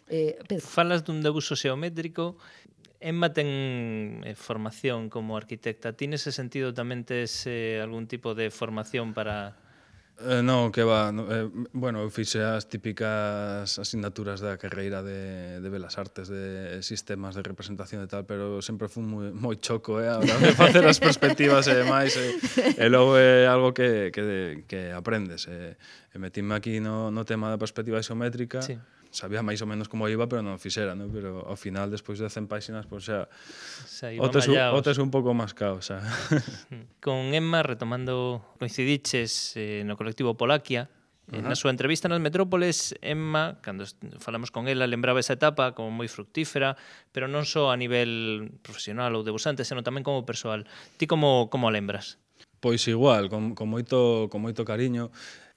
Eh, Pedro. Falas dun debuxo xeométrico. Emma ten eh, formación como arquitecta. Ti nese sentido tamén tes eh, algún tipo de formación para... Eh, non, que va, no, eh, bueno, eu fixe as típicas asignaturas da carreira de, de Belas Artes, de sistemas de representación e tal, pero sempre fui moi, moi choco, eh, a hora de facer as perspectivas e demais, e, e logo é algo que, que, que aprendes, e, e metime aquí no, no tema da perspectiva isométrica, sí. Sabía máis ou menos como iba, pero non fixera, ¿no? Pero ao final, despois de cen páxinas, pues xa, o tes, o tes un pouco máis cao, xa. Con Emma, retomando, coincidiches eh, no colectivo Polaquia. Uh-huh. Na súa entrevista nas Metrópoles, Emma, cando falamos con ela, lembraba esa etapa como moi fructífera, pero non só a nivel profesional ou debuxante, senón tamén como persoal. Ti como, como a lembras? Pois igual, con, con, moito, con moito cariño.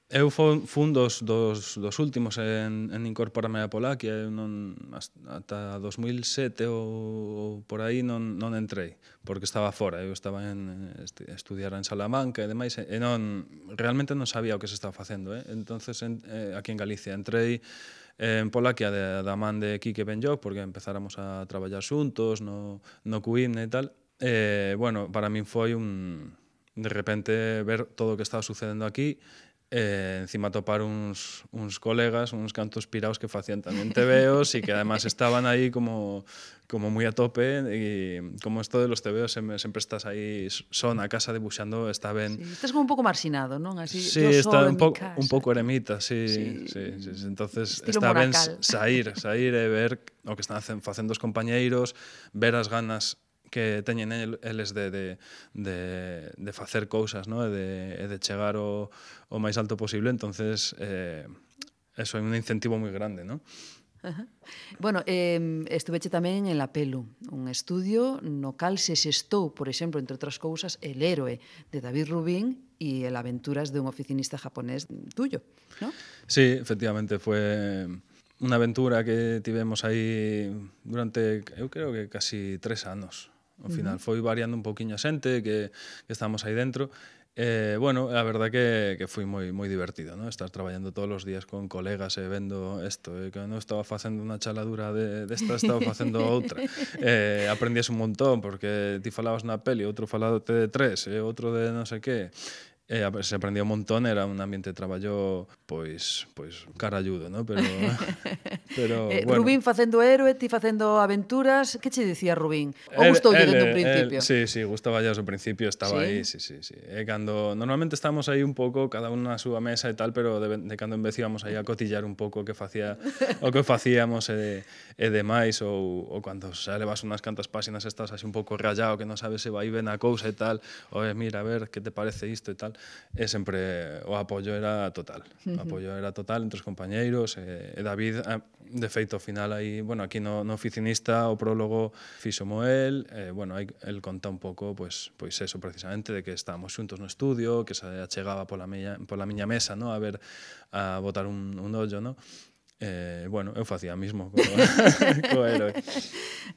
Eu fun dos, dos, dos últimos en, en incorporarme a Polaquia, eu non, ata dos mil sete ou, ou por aí non, non entrei, porque estaba fora, eu estaba en estudiar en Salamanca e demais, e non, realmente non sabía o que se estaba facendo, eh? Entonces en, eh, aquí en Galicia entrei en Polaquia de, da man de Quique Benlloc, porque empezáramos a traballar xuntos no, no Q I M e tal, e, bueno, para min foi un, de repente, ver todo o que estaba sucedendo aquí, e encima topar uns, uns colegas, uns cantos piraos que facían tamén tebeos e que además estaban aí como, como moi a tope, e como esto de los tebeos sempre, sempre estás aí só na casa debuxando, está ben. Sí, estás como un pouco marxinado, non? Así, sí, yo está solo un, en po, mi casa. un pouco eremita, sí, sí. sí, sí, sí. Entonces estilo está ben monacal. sair, sair e ver o que están facendo os compañeiros, ver as ganas que teñen eles de, de, de, de facer cousas, ¿no? e, de, e de chegar o, o máis alto posible, entonces eh, eso é un incentivo moi grande, ¿no? Ajá. Bueno, eh, estuveche tamén en La Pelu, un estudio no cal se xestou, por exemplo, entre outras cousas, El héroe de David Rubin e El aventuras de un oficinista japonés tuyo, ¿no? Sí, efectivamente, fue unha aventura que tivemos aí durante, eu creo que casi tres anos. Ao final, uh-huh. foi variando un pouquiño a xente que, que estamos aí dentro. Eh, bueno, a verdad que, que foi moi moi divertido, ¿no? Estar traballando todos os días con colegas e vendo isto, eh, que non estaba facendo unha chaladura de, desta, estaba facendo outra. Eh, aprendías un montón, porque ti falabas na peli, outro faladote de tres, e outro de non sei que. Eh, se aprendía un montón, era un ambiente de traballo pois, pois caralludo, ¿no? Pero Pero, eh, bueno. Rubín facendo héroe, ti facendo aventuras, que che dicía Rubín? O El- gustoulle el- dende un el- principio? Sí, sí, gustaba ya desde o principio, estaba Sí? aí, sí, sí, sí. E cando normalmente estamos aí un pouco cada un na súa mesa e tal, pero de, de cando en vez íbamos aí a cotillar un pouco o que facía o que facíamos e, e demais ou, ou cando xa levas unhas cantas páxinas estás así un pouco rayado que non sabes se vai ben a cousa e tal, ou mira, a ver, que te parece isto e tal, e sempre o apoio era total. O apoio era total entre os compañeiros e, e David, de feito, ao final aí, bueno, aquí no, no oficinista o prólogo fixomo el, e, bueno, aí el conta un pouco, pois, pois eso precisamente, de que estábamos xuntos no estudio, que se achegaba pola miña, pola miña mesa, no, a ver, a botar un, un ollo, no? Eh, bueno, eu facía mismo co, co héroe.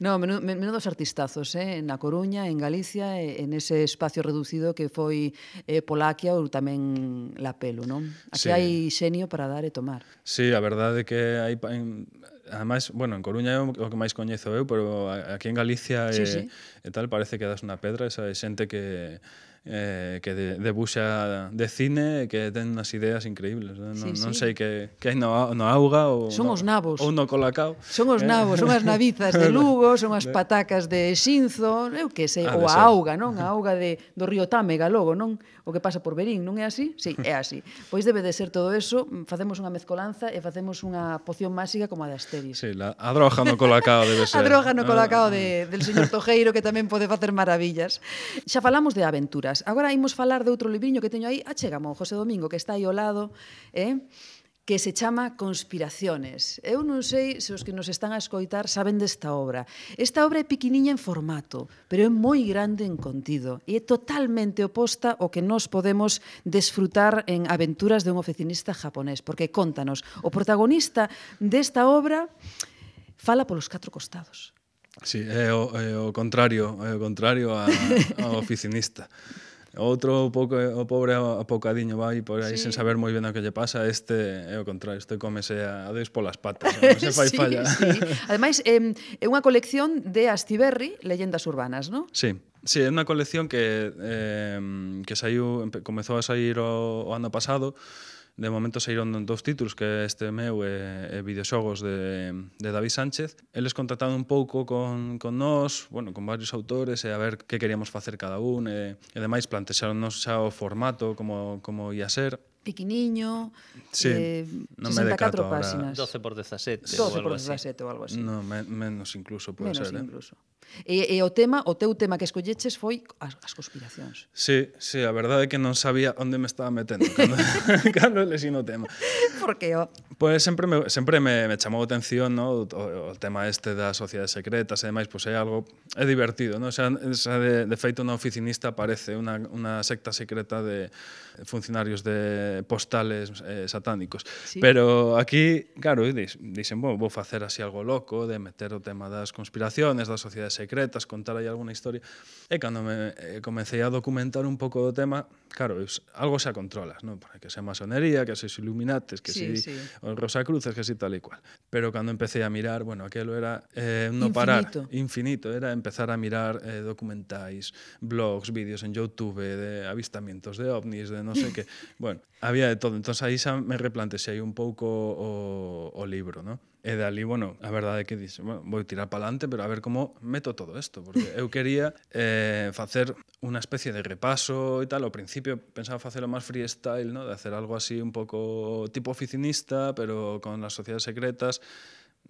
No, menudo, menudos artistazos, eh? Na Coruña, en Galicia, e en ese espacio reducido que foi eh, Polaquia ou tamén La Pelu, non? Aquí Sí. hai xenio para dar e tomar. Sí, a verdade é que hai pa- en, ademais, bueno, en Coruña é o o que máis coñezo eu, pero a- aquí en Galicia Sí, e, sí. e tal parece que das unha pedra, esa xente que eh, que de, debuxa de cine e que ten unhas ideas increíbles, non, Sí, non sí. sei que, que hai no, no auga ou Son no, os nabos. ou no colacao. Son os Eh, nabos, son as navizas de Lugo, son as patacas de Xinzo, eu que sei, Ha ou de a ser. auga, non? A auga de, do río Támega, logo, non? O que pasa por Verín, non é así? Sí, é así. Pois debe de ser todo eso, facemos unha mezcolanza e facemos unha poción máxica como a de Asteris. Sí, la, a droga no colacao debe ser. A droga no colacao Ah, de, del señor Tojeiro, que tamén pode facer maravillas. Xa falamos de aventuras. Agora imos falar de outro libriño que teño aí. Achégamo, José Domingo, que está aí ao lado, eh? que se chama Conspiraciones. Eu non sei se os que nos están a escoitar saben desta obra. Esta obra é piquiniña en formato, pero é moi grande en contido e é totalmente oposta ao que nos podemos desfrutar en Aventuras de un oficinista japonés, porque contanos, o protagonista desta obra fala polos catro costados. Sí, é o, é o contrario, é o contrario a, ao oficinista. Outro pouco o pobre apocadiño vai por aí Sí. sen saber moi ben o que lle pasa, este é o contrario, este cómese a dois polas patas, non se fai sí, falla. sí. Ademais, é, é unha colección de Astiberri, Leyendas Urbanas, non? Sí, sí, é unha colección que eh, que saiu, empe- comezou a sair o, o ano pasado. De momento saíron dous títulos, que é este meu e, e videoxogos de, de David Sánchez. Eles contactaron un pouco con, con nós, bueno, con varios autores, e a ver que queríamos facer cada un, e, e demais plantexaronnos xa o formato, como, como ia ser. Piquiniño, Sí, eh, non me sesenta e catro decato ahora. páxinas. doce por dezasete doce ou por algo así. dezasete ou algo así. No, me, menos incluso pode Menos ser, eh? incluso. E, e o tema, o teu tema que escolleches foi as, as conspiracións. Sí, sí, a verdade é que non sabía onde me estaba metendo cando, cando lesino o tema. Porque o... Pois sempre me, sempre me, me chamou a atención, no? o, o tema este das sociedades secretas e demais, pois é algo é divertido, no? Xa, xa de, de feito na oficinista aparece unha, unha secta secreta de funcionarios de postales eh, satánicos. Sí. Pero aquí, claro, dix, dixen, bueno, vou facer así algo loco de meter o tema das conspiraciones, das sociedades secretas, contar aí alguna historia. E cando me eh, comecei a documentar un pouco do tema, claro, es, algo xa controlas, non? Que se masonería, que se Illuminates, que Sí, si sí. os Rosacruces, que si tal e cual. Pero cando empecé a mirar, bueno, aquelo era eh, no parar, Infinito. infinito, era empezar a mirar eh, documentais, blogs, vídeos en YouTube de avistamientos de ovnis, de non sei que, bueno, había de todo. Entón aí xa me replantexei un pouco o, o libro, ¿no? E dali, bueno, a verdade é que dixo, bueno, vou tirar para adelante, pero a ver como meto todo isto, porque eu quería eh, facer unha especie de repaso e tal. Ao principio pensaba facelo máis freestyle, ¿no? De hacer algo así un pouco tipo oficinista, pero con las sociedades secretas,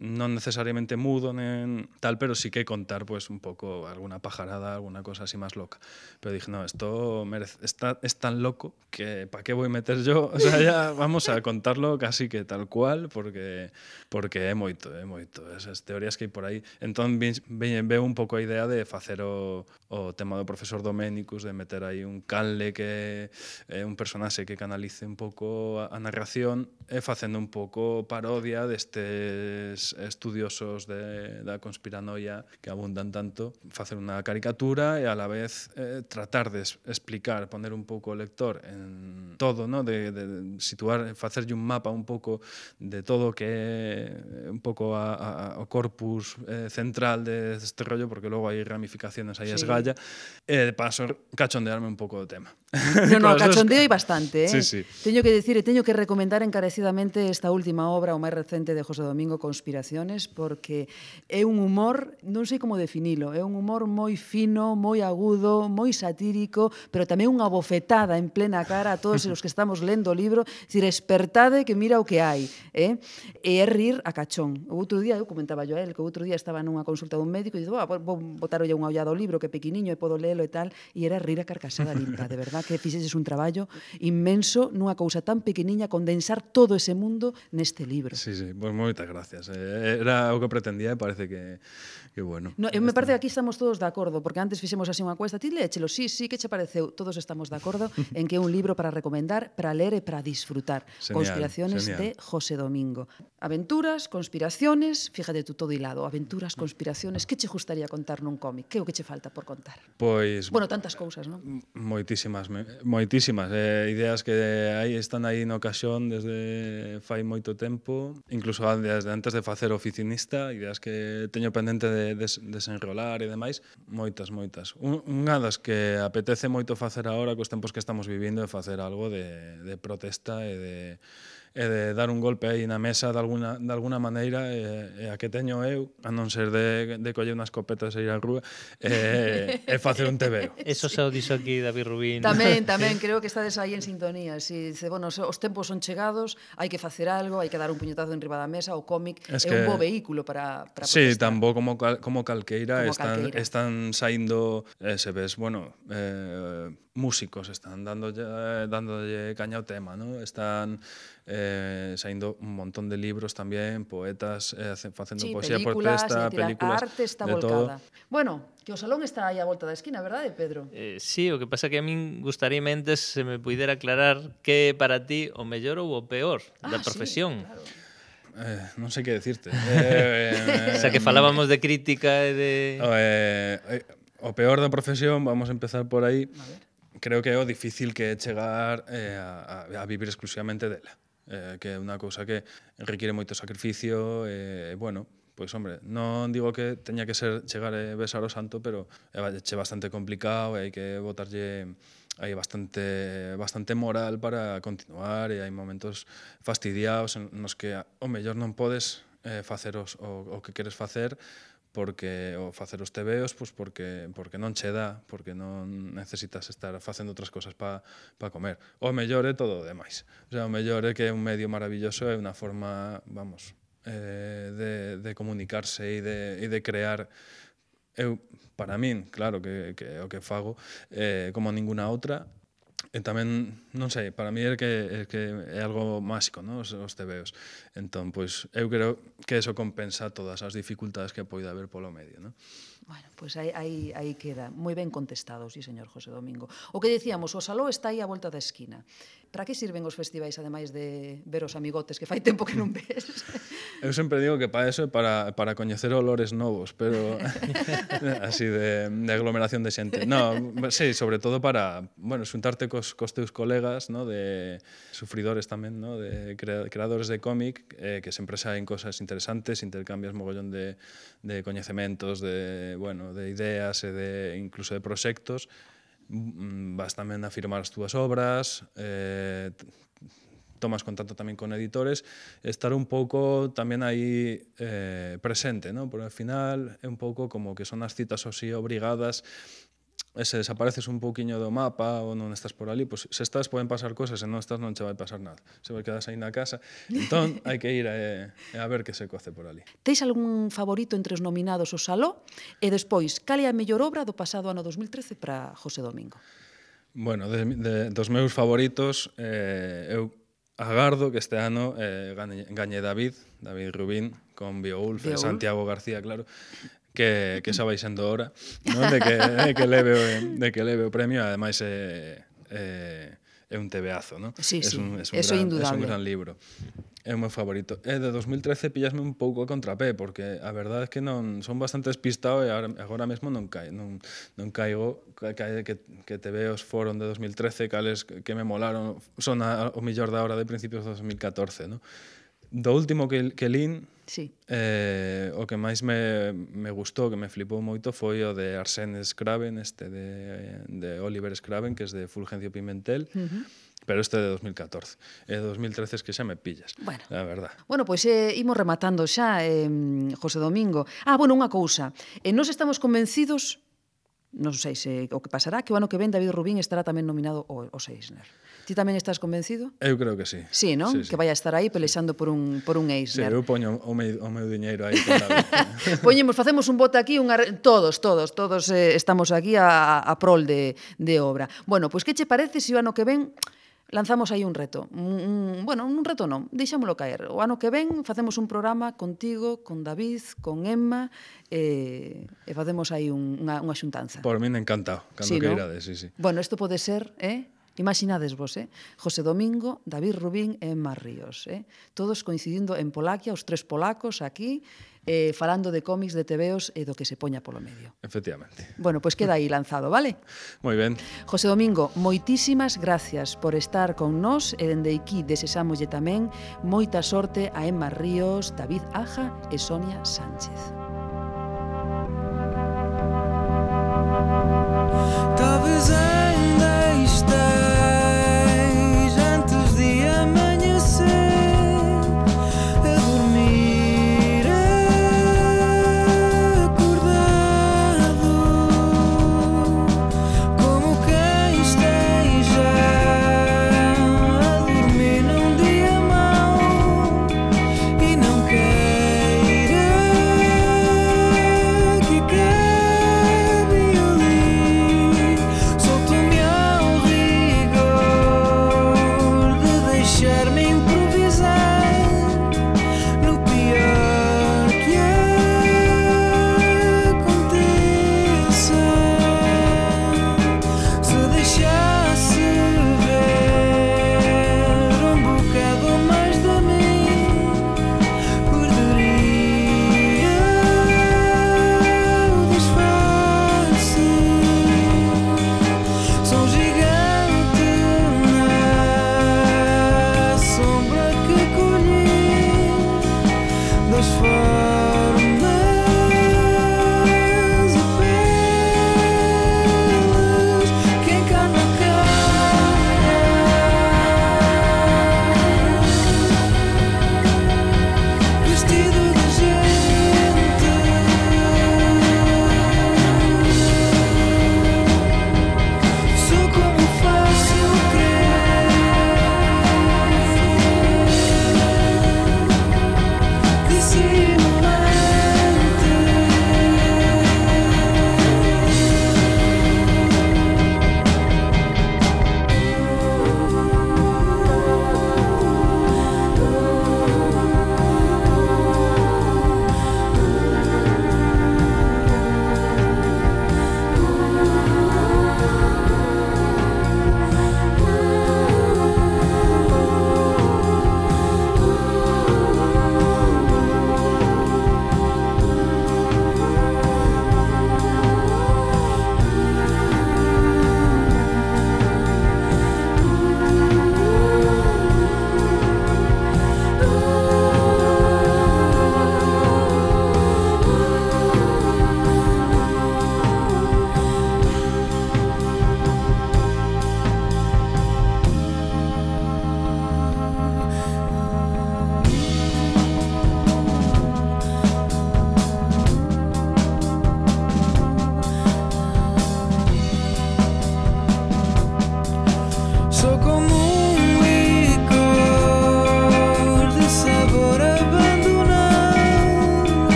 non necesariamente mudo nen tal, pero sí que contar pues un pouco alguna pajarada, alguna cosa así máis loca. Pero dije, no, esto merece, está, es tan loco que ¿para qué voy a meter yo? O sea, ya vamos a contarlo casi que tal cual, porque porque é moito, é moito esas teorías que hai por aí. Entón veñen veo un pouco a idea de facer o, o tema do profesor Doménicus, de meter aí un canle que é un personaxe que canalice un pouco a, a narración e facendo un pouco parodia destes estudiosos de, da conspiranoia que abundan tanto, facer unha caricatura e a la vez eh, tratar de explicar, poner un pouco o lector en todo, ¿no? de, de situar, facerlle un mapa un pouco de todo o que é un pouco a, a, o corpus eh, central de este rollo, porque logo hai ramificaciones aí Sí. esgalla, e de paso cachondearme un pouco do tema. No, no, Con as cachondeo hai dúas- bastante, eh? Sí, sí. Teño que dicir e teño que recomendar encarecidamente esta última obra, o máis recente de José Domingo, Conspiraciones. Conspiraciones, porque é un humor, non sei como definilo, é un humor moi fino, moi agudo, moi satírico, pero tamén unha bofetada en plena cara a todos os que estamos lendo o libro, dicir, espertade que mira o que hai, eh? E é rir a cachón. O outro día, eu comentaba yo a él, que o outro día estaba nunha consulta dun médico e digo, vou botarolle unha ollada ao libro, que é pequeniño e podo lelo e tal, e era rir a carcasada limpa, de verdad, que fixeches un traballo inmenso nunha cousa tan pequeniña, condensar todo ese mundo neste libro. Sí, sí, pois pues moitas gracias. Eh, era o que pretendía e parece que, que bueno. No, eu me parece que aquí estamos todos de acordo, porque antes fixemos así unha cuesta, ti léchelo, sí, sí, que che pareceu? Todos estamos de acordo en que é un libro para recomendar, para ler e para disfrutar. Genial, Conspiraciones genial. de José Domingo. Aventuras, conspiraciones, fíjate tú todo hilado, aventuras, conspiraciones, que che gustaría contar nun cómic? Que é o que che falta por contar? Pois Bueno, tantas cousas, non? moitísimas, me- moitísimas eh, ideas que aí están aí no caixón desde fai moito tempo, incluso desde antes de facer oficinista, ideas que teño pendente de des, desenrolar e demais, moitas, moitas. Un, unha das que apetece moito facer agora cos tempos que estamos vivindo é facer algo de, de protesta e de e de dar un golpe aí na mesa de alguna, de alguna maneira e, e a que teño eu, a non ser de, de coller unha escopeta e ir á rúa, e, e facer un tebeo. Eso xa o dixo aquí David Rubín. Tamén, tamén, creo que estades aí en sintonía. Si, dice, bueno, os tempos son chegados, hai que facer algo, hai que dar un puñetazo en riba da mesa, o cómic Es é que- un bo vehículo para, para Sí, protestar. tan bo como, cal, como calqueira, Como están, calqueira. están saindo, eh, se ves, bueno, eh, músicos están dándolle, dándolle caña ao tema, ¿no? Están eh, saindo un montón de libros tamén, poetas eh, hace- facendo Sí, poesía películas, protesta, é dicir, películas, a arte está de todo. volcada. Bueno, que o salón está aí á volta da esquina, verdade, Pedro? Eh, sí, o que pasa que a min gustaría mentes se me puidera aclarar que é para ti o mellor ou o peor da Ah, profesión. Sí, claro. Eh, non sei que decirte. Eh, O sea, que falábamos de crítica e de... Eh, eh, o peor da profesión, vamos a empezar por aí, A ver. creo que é o difícil que é chegar eh, a, a vivir exclusivamente dela. Eh, que é unha cousa que requiere moito sacrificio e, eh, bueno, pois, hombre, non digo que teña que ser chegar e besar o santo, pero é che bastante complicado e hai que botarlle hai bastante bastante moral para continuar e hai momentos fastidiados en nos que o mellor non podes eh, facer os, o, o que queres facer porque o facer os tebeos, pois porque porque non che dá, porque non necesitas estar facendo outras cosas para pa comer. O mellor é todo o demais. O sea, o mellor é que é un medio maravilloso, é unha forma, vamos, eh, de, de comunicarse e de, e de crear. Eu, para min, claro, que, que o que fago eh, como ninguna outra, e tamén, non sei, para mí é que é, que é algo máxico, ¿no? os, os tebeos. Entón, pois, eu creo que eso compensa todas as dificultades que poida haber polo medio, ¿no? Bueno, pois pues aí, aí, aí queda. Moi ben contestado, sí, señor José Domingo. O que dicíamos, o saló está aí á volta da esquina. Para que sirven os festivais, ademais de ver os amigotes que fai tempo que non ves? Eu sempre digo que para eso é para, para coñecer olores novos, pero así de, de aglomeración de xente. No, sí, sobre todo para, bueno, xuntarte cos, cos teus colegas, ¿no? De sufridores tamén, ¿no? De crea, creadores de cómic, eh, que sempre saen cosas interesantes, intercambias mogollón de, de coñecementos, de, bueno, de ideas e de incluso de proxectos. Vas tamén a firmar as túas obras, eh, tomas contacto tamén con editores, estar un pouco tamén aí eh, presente, ¿no? Porque ao final é un pouco como que son as citas así obrigadas, e se desapareces un pouquiño do mapa ou non estás por ali, pois se estás poden pasar cosas, e non estás non che vai pasar nada. Se vai quedas aí na casa, entón hai que ir a, a ver que se coce por ali. Teis algún favorito entre os nominados ao saló? E despois, cal é a mellor obra do pasado ano dos mil trece para José Domingo? Bueno, de, de, dos meus favoritos, eh, eu agardo que este ano eh, gañe, gañe David, David Rubín, con Beowulf, e Santiago García, claro, que, que xa vai sendo hora, non? De que, de que leve o, de que leve o premio, ademais é, é, é un tebeazo, non? Sí, es sí, un, es un eso é gran, indudable. Es un gran libro. É o meu favorito. E de dos mil trece pillasme un pouco a contrapé, porque a verdade é que non son bastante despistado e agora, agora mesmo non, cai, non, non caigo que, que, que te veos foron de dos mil trece, cales que me molaron, son a, o millor da hora de principios de dos mil catorce, non? Do último que, que lín, sí. eh, o que máis me, me gustou, que me flipou moito, foi o de Arsène Scraven, este de, de Oliver Scraven, que é de Fulgencio Pimentel, uh-huh. pero este é de dos mil catorce. E de dos mil trece es que xa me pillas, bueno. a verdad. Bueno, pois eh, imos rematando xa, eh, José Domingo. Ah, bueno, unha cousa. Eh, nos estamos convencidos, non sei se o que pasará, que o ano que ven David Rubín estará tamén nominado ao, ao Eisner. Ti tamén estás convencido? Eu creo que sí. Sí, non? Sí, sí. Que vai a estar aí pelexando por un, por un Sí, Eisner. eu poño o meu, o meu diñeiro aí con David. Poñemos, facemos un voto aquí, unha, todos, todos, todos eh, estamos aquí a, a prol de, de obra. Bueno, pois que che parece se o ano que ven lanzamos aí un reto? Un, un, bueno, un reto non, deixámolo caer. O ano que ven facemos un programa contigo, con David, con Emma, e, e facemos aí un, unha, unha xuntanza. Por min encantado, cando Sí, que ¿no? irades, sí, sí. Bueno, isto pode ser, eh? Imaginades vos, eh? José Domingo, David Rubín e Emma Ríos, eh? Todos coincidindo en Polaquia, os tres polacos aquí, eh, falando de cómics, de tebeos e do que se poña polo medio. Efectivamente. Bueno, pois queda aí lanzado, vale? Moi ben. José Domingo, moitísimas gracias por estar con nós e dende aquí desesámoslle tamén moita sorte a Emma Ríos, David Aja e Sonia Sánchez. Talvez ainda esteja antes de amanhecer a dormir acordado, como quem esteja a dormir num dia mau e não queira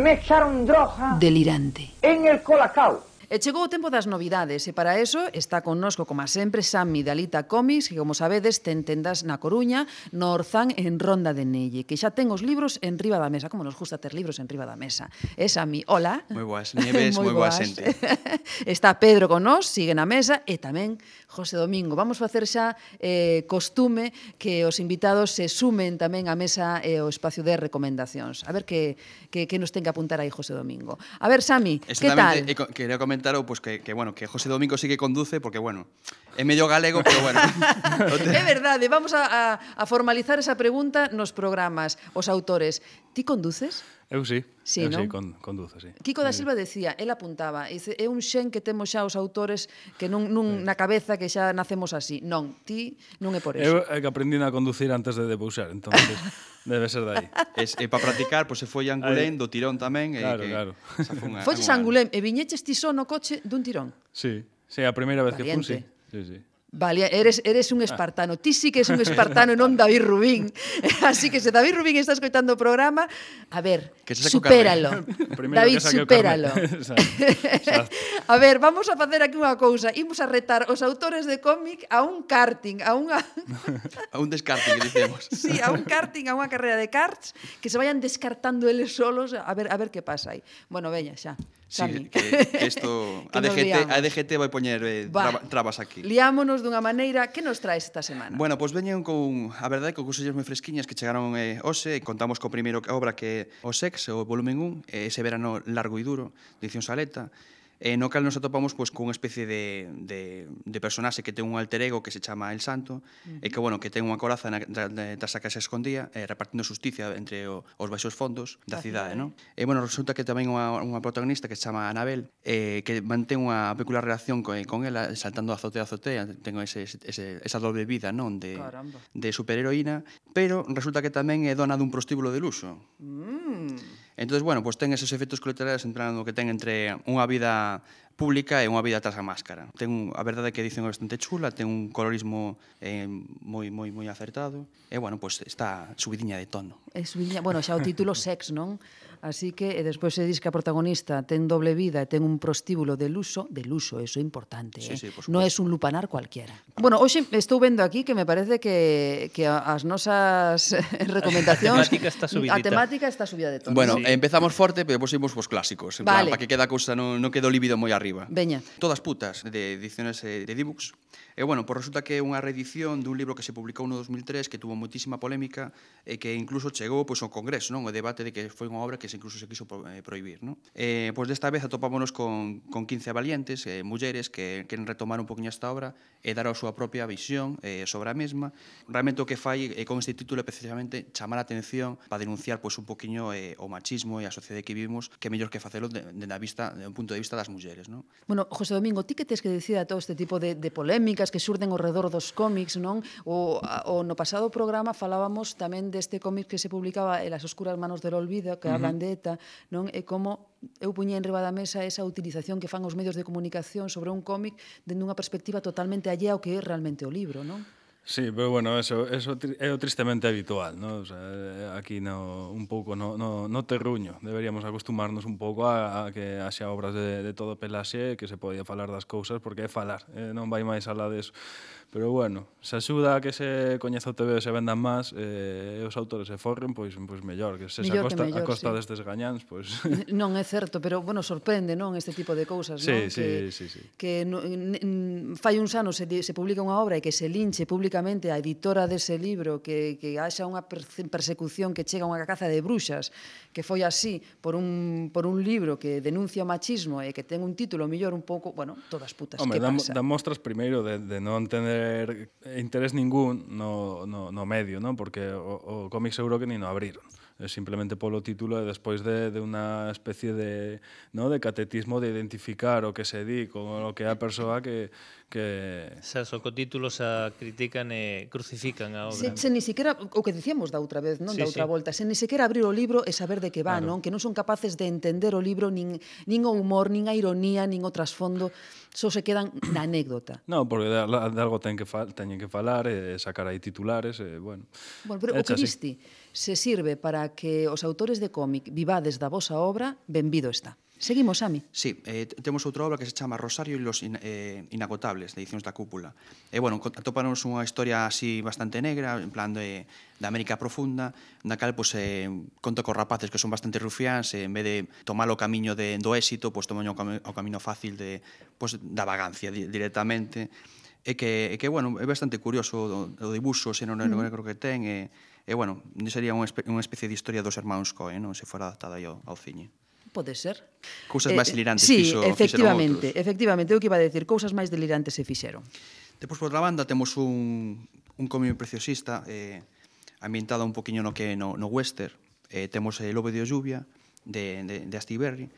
me echaron droga Delirante. en el colacao. E chegou o tempo das novidades e para eso está connosco, como sempre, Sammy de Alita Comics, que, como sabedes, ten tendas na Coruña, no Orzán en Ronda de Nelle, que xa ten os libros en riba da mesa. Como nos gusta ter libros en riba da mesa. E Sammy, hola. Moi boas nieves, moi boa xente. Está Pedro con nós, sigue na mesa, e tamén José Domingo. Vamos facer xa eh, costume que os invitados se sumen tamén á mesa e ao espacio de recomendacións. A ver que, que, que nos ten que apuntar aí José Domingo. A ver, Sammy, que tal? E quería comentar pues que, que, bueno, que José Domingo sí que conduce, porque, bueno, é medio galego, pero, bueno. É verdade, vamos a, a, a formalizar esa pregunta nos programas. Os autores, ti conduces? Eu sí, sí, eu non? sí, con, conduzo, sí. Kiko da Silva decía, el apuntaba, dice, é un xen que temos xa os autores que nun, nun, na cabeza que xa nacemos así. Non, ti non é por eso. Eu é que aprendín a conducir antes de debuxar, entonces debe ser de aí. Es, e para practicar, pois pues, se foi a Angulén, do tirón tamén. Claro, e que, claro. Foches a Angulén e viñeches ti só no coche dun tirón? Sí, sí, a primeira vez Valiente. que fun, sí. Sí, sí. Vale, eres, eres un espartano. Ti sí que es un espartano e non David Rubín. Así que se David Rubín está escoitando o programa, a ver, supéralo. David, supéralo. A ver, vamos a facer aquí unha cousa. Imos a retar os autores de cómic a un karting, a unha... a un deskarting, que dicemos. Sí, a un karting, a unha carrera de karts, que se vayan descartando eles solos, a ver a ver que pasa aí. Bueno, veña, xa. Sí, que, que isto a D G T, a D G T vai poñer eh, traba, trabas aquí. Liámonos dunha maneira. Que nos traes esta semana? Bueno, pois pues veñen con, a verdade, con cosillas moi fresquiñas que chegaron eh, hoxe, e contamos co primeiro obra que é o Sex, o volumen un, ese verano largo e duro, de edición Saleta, e no cal nos atopamos pois, con unha especie de, de, de personaxe que ten un alter ego que se chama El Santo, uh-huh. e que, bueno, que ten unha coraza na, da, da que se escondía, eh, repartindo justicia entre o, os baixos fondos da cidade, non? E, bueno, resulta que tamén unha, unha protagonista que se chama Anabel, eh, que mantén unha peculiar relación con, con ela, saltando a azotea a azotea, ten ese, ese, esa doble vida, non? De, de superheroína, pero resulta que tamén é dona dun prostíbulo de luxo. Mm. Entón, bueno, pues ten esos efectos colaterales en plan que ten entre unha vida pública e unha vida tras a máscara. Ten, a verdade é que edición bastante chula, ten un colorismo eh, moi moi moi acertado e, bueno, pues está subidiña de tono. É subidiña, bueno, xa o título Sex, non? Así que, e despois se diz que a protagonista ten doble vida e ten un prostíbulo de luxo, de luxo, eso é importante, sí, eh? Sí, non é un lupanar cualquiera. Bueno, hoxe estou vendo aquí que me parece que, que as nosas recomendacións... A temática está subidita. A temática está subida de tono. Bueno, sí. empezamos forte, pero depois imos pos clásicos, en vale. plan, para que queda a cousa non, non quedo líbido moi arriba. Veña. Todas putas, de ediciones eh, de D-Books. E, bueno, pues resulta que é unha reedición dun libro que se publicou no dos mil tres que tuvo moitísima polémica e que incluso chegou pois, ao Congreso, non? O debate de que foi unha obra que se incluso se quiso eh, prohibir, non? Eh, pois desta vez atopámonos con, con quince valientes, eh, mulleres que queren retomar un poquinho esta obra e dar a súa propia visión eh, sobre a mesma. Realmente o que fai eh, con este título é precisamente chamar a atención para denunciar pois, un poquinho eh, o machismo e a sociedade que vivimos, que é mellor que facelo de, de, de, vista, de un punto de vista das mulleres, non? Bueno, José Domingo, ti que tes que dicir a todo este tipo de, de polémicas que xurden ao redor dos cómics, non? O, o no pasado programa falábamos tamén deste cómic que se publicaba en Las oscuras manos del olvido, que uh-huh. hablan de ETA, non? E como eu puñía en riba da mesa esa utilización que fan os medios de comunicación sobre un cómic dende unha perspectiva totalmente allea ao que é realmente o libro, non? Sí, pero bueno, eso, eso é o tristemente habitual, ¿no? O sea, aquí no, un pouco no, no, no terruño. Deberíamos acostumarnos un pouco a, a que haxa obras de, de todo pelaxe, que se podía falar das cousas, porque é falar, eh, non vai máis alá deso. Pero bueno, se axuda a que se coñeza o T V e se vendan máis, eh, e os autores se forren, pois, pois mellor, que se mellor a costa, mellor, a costa sí. destes gañáns, pois... Non é certo, pero, bueno, sorprende, non, este tipo de cousas, sí, non? Sí, que, sí, sí. Que no, n, fai uns anos se, se publica unha obra e que se linche públicamente a editora dese libro, que, que haxa unha persecución que chega a unha caza de bruxas, que foi así por un, por un libro que denuncia o machismo e que ten un título mellor un pouco, bueno, todas putas, Hombre, que pasa? Dan mostras primeiro de, de non tener interés ningún no, no, no medio, ¿no? Porque o, o cómic seguro que ni no abriron. É simplemente polo título e despois de, de unha especie de, ¿no? de catetismo de identificar o que se di con o que é a persoa que... que... Xa, so co título xa critican e crucifican a obra. Se, se ni siquiera, o que dicíamos da outra vez, non sí, da outra sí. volta, se ni siquiera abrir o libro e saber de que va, Claro. non? Que non son capaces de entender o libro, nin, nin o humor, nin a ironía, nin o trasfondo, só se quedan na anécdota. No, porque de, de algo ten que fal, teñen que falar e sacar aí titulares, e, bueno... Bueno, pero o que viste se sirve para para que os autores de cómic vivades da vosa obra, benvido está. Seguimos, Sami. Sí, eh, temos outra obra que se chama Rosario e los in, eh, inagotables, de Edicións da Cúpula. E, bueno, atópanos unha historia así bastante negra, en plan de, de América profunda, na cal, pois, eh, conta cos rapaces que son bastante rufiáns, e, en vez de tomar o camiño de, do éxito, pois, toman o, cami o camiño fácil de, pois, da vagancia di, directamente. E que, e que, bueno, é bastante curioso o, o dibuxo, o xeno negro que ten, e, e bueno, sería unha, espe unha especie de historia dos hermanos Coen, non? Se fora adaptada aí ao, ao cine. Pode ser. Cousas máis delirantes sí, fixo, efectivamente, fixeron outros. efectivamente, eu que iba a decir, cousas máis delirantes se fixeron. Depois, por outra banda, temos un, un cómic preciosista eh, ambientado un poquinho no que no, no western. Eh, temos eh, Lobo de Lluvia, de, de, de Astiberri,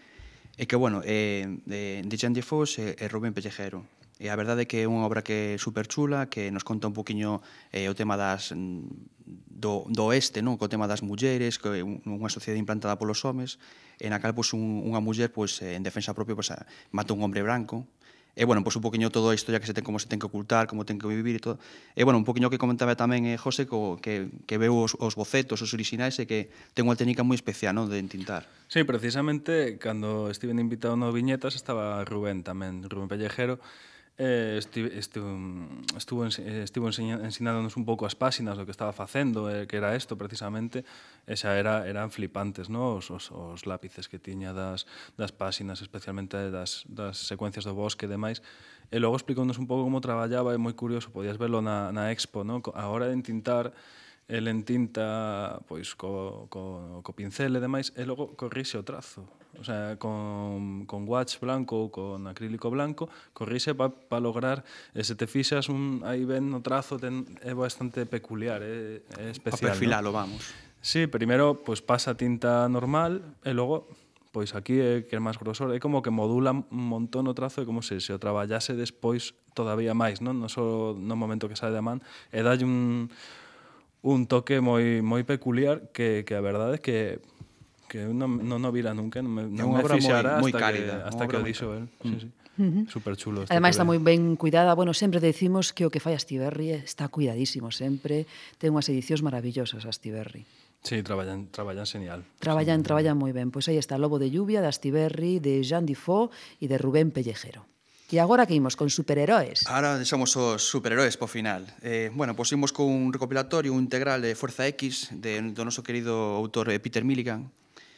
e que, bueno, eh, de, de Jean Defoe e, e Rubén Pellejero. E a verdade é que é unha obra que é super chula, que nos conta un poquinho eh, o tema das do, do oeste, non? Co tema das mulleres, que é unha sociedade implantada polos homes, e na cal pois, un, unha muller pois, en defensa propia pois, mata un hombre branco. E, bueno, pois un poquinho toda a historia que se ten, como se ten que ocultar, como ten que vivir e todo. E, bueno, un poquinho que comentaba tamén eh, José, co, que, que veu os, os bocetos, os orixinais, e que ten unha técnica moi especial, non? De entintar. Sí, precisamente, cando estiven invitado no Viñetas, estaba Rubén tamén, Rubén Pellejero, Eh, estive, estuvo, estuvo, estuvo ensinándonos un pouco as páxinas do que estaba facendo, eh, que era isto precisamente, e xa era, eran flipantes, no? os, os, os lápices que tiña das, das páxinas, especialmente das, das secuencias do bosque e demais, e logo explicounos un pouco como traballaba, é moi curioso, podías verlo na, na expo, no? A hora de entintar, el entinta pois, co, co, co pincel e demais, e logo corrixe o trazo. O sea, con, con watch blanco ou con acrílico blanco, corrixe para pa lograr, e se te fixas un, aí ben no trazo, ten, é bastante peculiar, é, é especial. A perfilalo, ¿no? vamos. Sí, primeiro, pois pasa tinta normal, e logo, pois aquí é que é máis grosor, é como que modula un montón o trazo, é como se se o traballase despois todavía máis, non? Non só no momento que sae da man, e dalle un un toque moi moi peculiar que, que a verdade é que que non, non o vira nunca, non me, non me fixara moi, moi hasta cálida, que, hasta que o dixo el. Sí, sí. Uh-huh. Super chulo. Ademais está moi ben cuidada. Bueno, sempre decimos que o que fai Astiberri está cuidadísimo sempre. Ten unhas edicións maravillosas Astiberri. Sí, traballan, traballan genial. Traballan, sí. traballan moi ben. Pois aí está Lobo de Lluvia, de Astiberri, de Jean Defoe e de Rubén Pellejero. E agora que imos con superheróis? Ahora deixamos os superheróis po final. Eh, bueno, pois imos con un recopilatorio, un integral de Fuerza X, de, do noso querido autor eh, Peter Milligan.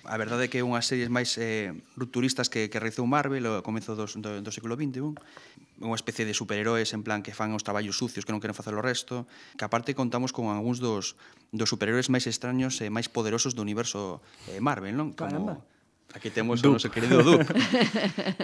A verdade é que é unhas series máis eh, rupturistas que, que realizou Marvel ao comezo dos, do, do século vinte e un. Unha especie de superheróis en plan que fan os traballos sucios que non queren facer o resto, que aparte contamos con algúns dos, dos superheróis máis extraños e máis poderosos do universo eh, Marvel, non? Como... Caramba. Aquí temos o noso querido Duke.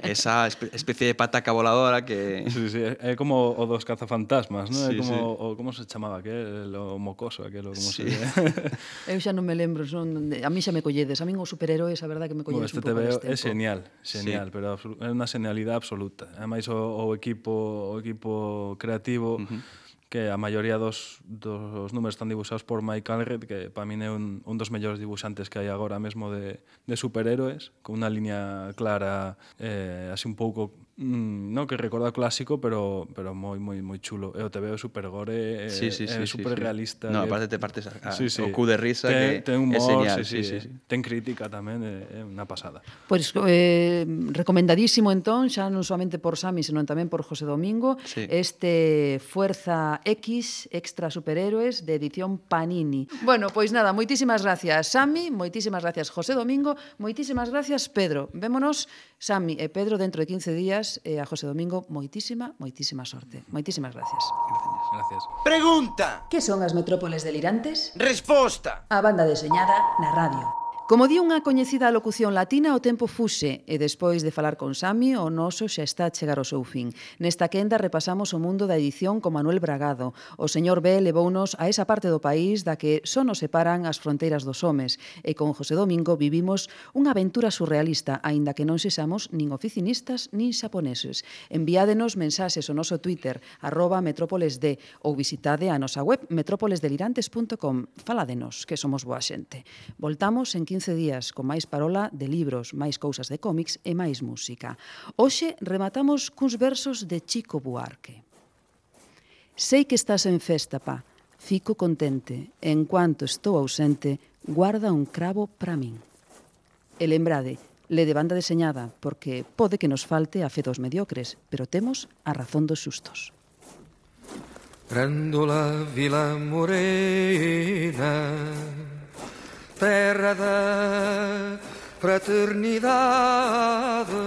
Esa espe especie de pataca voladora que... Sí, sí, é como o dos cazafantasmas, non? Sí, É como sí. o como se chamaba aquel, o mocoso, aquelo, como Sí. se... Eu xa non me lembro, son, a mí xa me colledes. A min os superheróis, a verdade que me Bueno, colledes este un pouco T V máis é tempo. genial, genial, Sí. pero é unha genialidade absoluta. Ademais o, o equipo o equipo creativo Uh-huh. que a maioría dos, dos números están dibuixados por Mike Allred, que para min é un, un dos mellores dibuixantes que hai agora mesmo de, de superhéroes, con unha liña clara, eh, así un pouco, mm, non que recorda clásico, pero pero moi moi moi chulo. E o T V é super gore, é, Sí, sí, sí, é sí, super sí. realista. No, que... aparte te partes a, a, sí, sí. o cu de risa ten, que ten humor, é genial. sí, sí, sí, sí, sí. Ten crítica tamén, é, é unha pasada. Pois eh, recomendadísimo entón, xa non somente por Sami, senón tamén por José Domingo, Sí. este Fuerza X, Extra Superhéroes, de edición Panini. Bueno, pois nada, moitísimas gracias Sami, moitísimas gracias José Domingo, moitísimas gracias Pedro. Vémonos, Sami e Pedro, dentro de quince días, e a José Domingo, moitísima, moitísima sorte. Moitísimas gracias. Gracias. Pregunta. Que son as metrópoles delirantes? Resposta. A banda deseñada na radio. Como di unha coñecida locución latina, o tempo fuxe, e despois de falar con Sami, o noso xa está a chegar ao seu fin. Nesta quenda repasamos o mundo da edición con Manuel Bragado. O señor B levounos a esa parte do país da que só nos separan as fronteiras dos homes, e con José Domingo vivimos unha aventura surrealista, aínda que non sexamos nin oficinistas nin xaponeses. Enviádenos mensaxes ao noso Twitter, arroba metrópolesd, ou visitade a nosa web metrópoles delirantes punto com. Faládenos, que somos boa xente. Voltamos en quince días con máis parola de libros, máis cousas de cómics e máis música. Hoxe rematamos cuns versos de Chico Buarque. Sei que estás en festa, pa, Fico contente, en cuanto estou ausente, guarda un cravo para min. E lembrade, le de banda deseñada, porque pode que nos falte a fe dos mediocres, pero temos a razón dos xustos. Grândola Vila Morena, terra da fraternidade,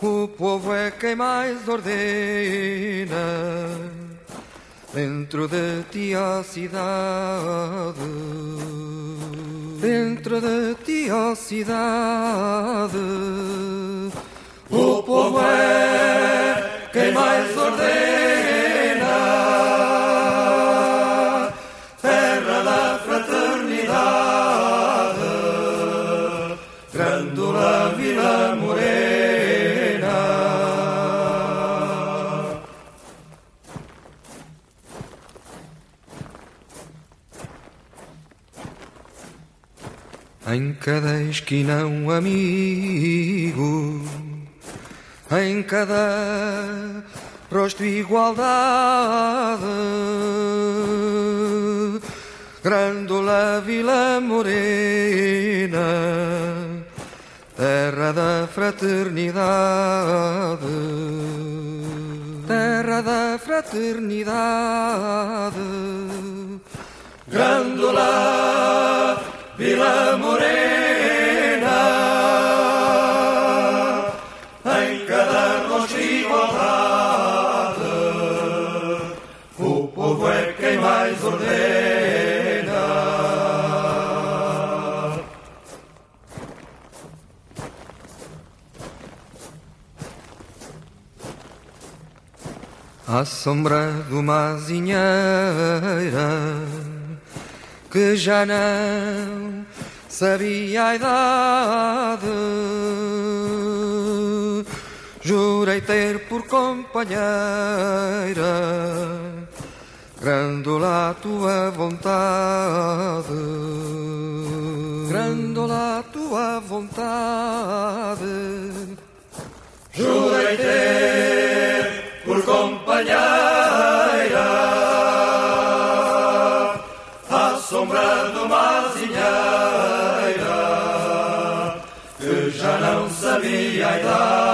o povo é quem mais ordena dentro de ti a cidade, dentro de ti a cidade, o povo é quem mais ordena, terra da fraternidade, Grândola Vila Morena. Em cada esquina um amigo, em cada rosto igualdade, Grândola Vila Morena, terra da fraternidade, terra da fraternidade, Grândola Vila Morena, em cada rosto igualdade, o povo é quem mais ordena. À sombra de uma azinheira que já não sabia a idade, jurei ter por companheira Grândola a tua vontade, Grândola a tua vontade, jurei ter por companheira à sombra de uma azinheira que já não sabia a idade.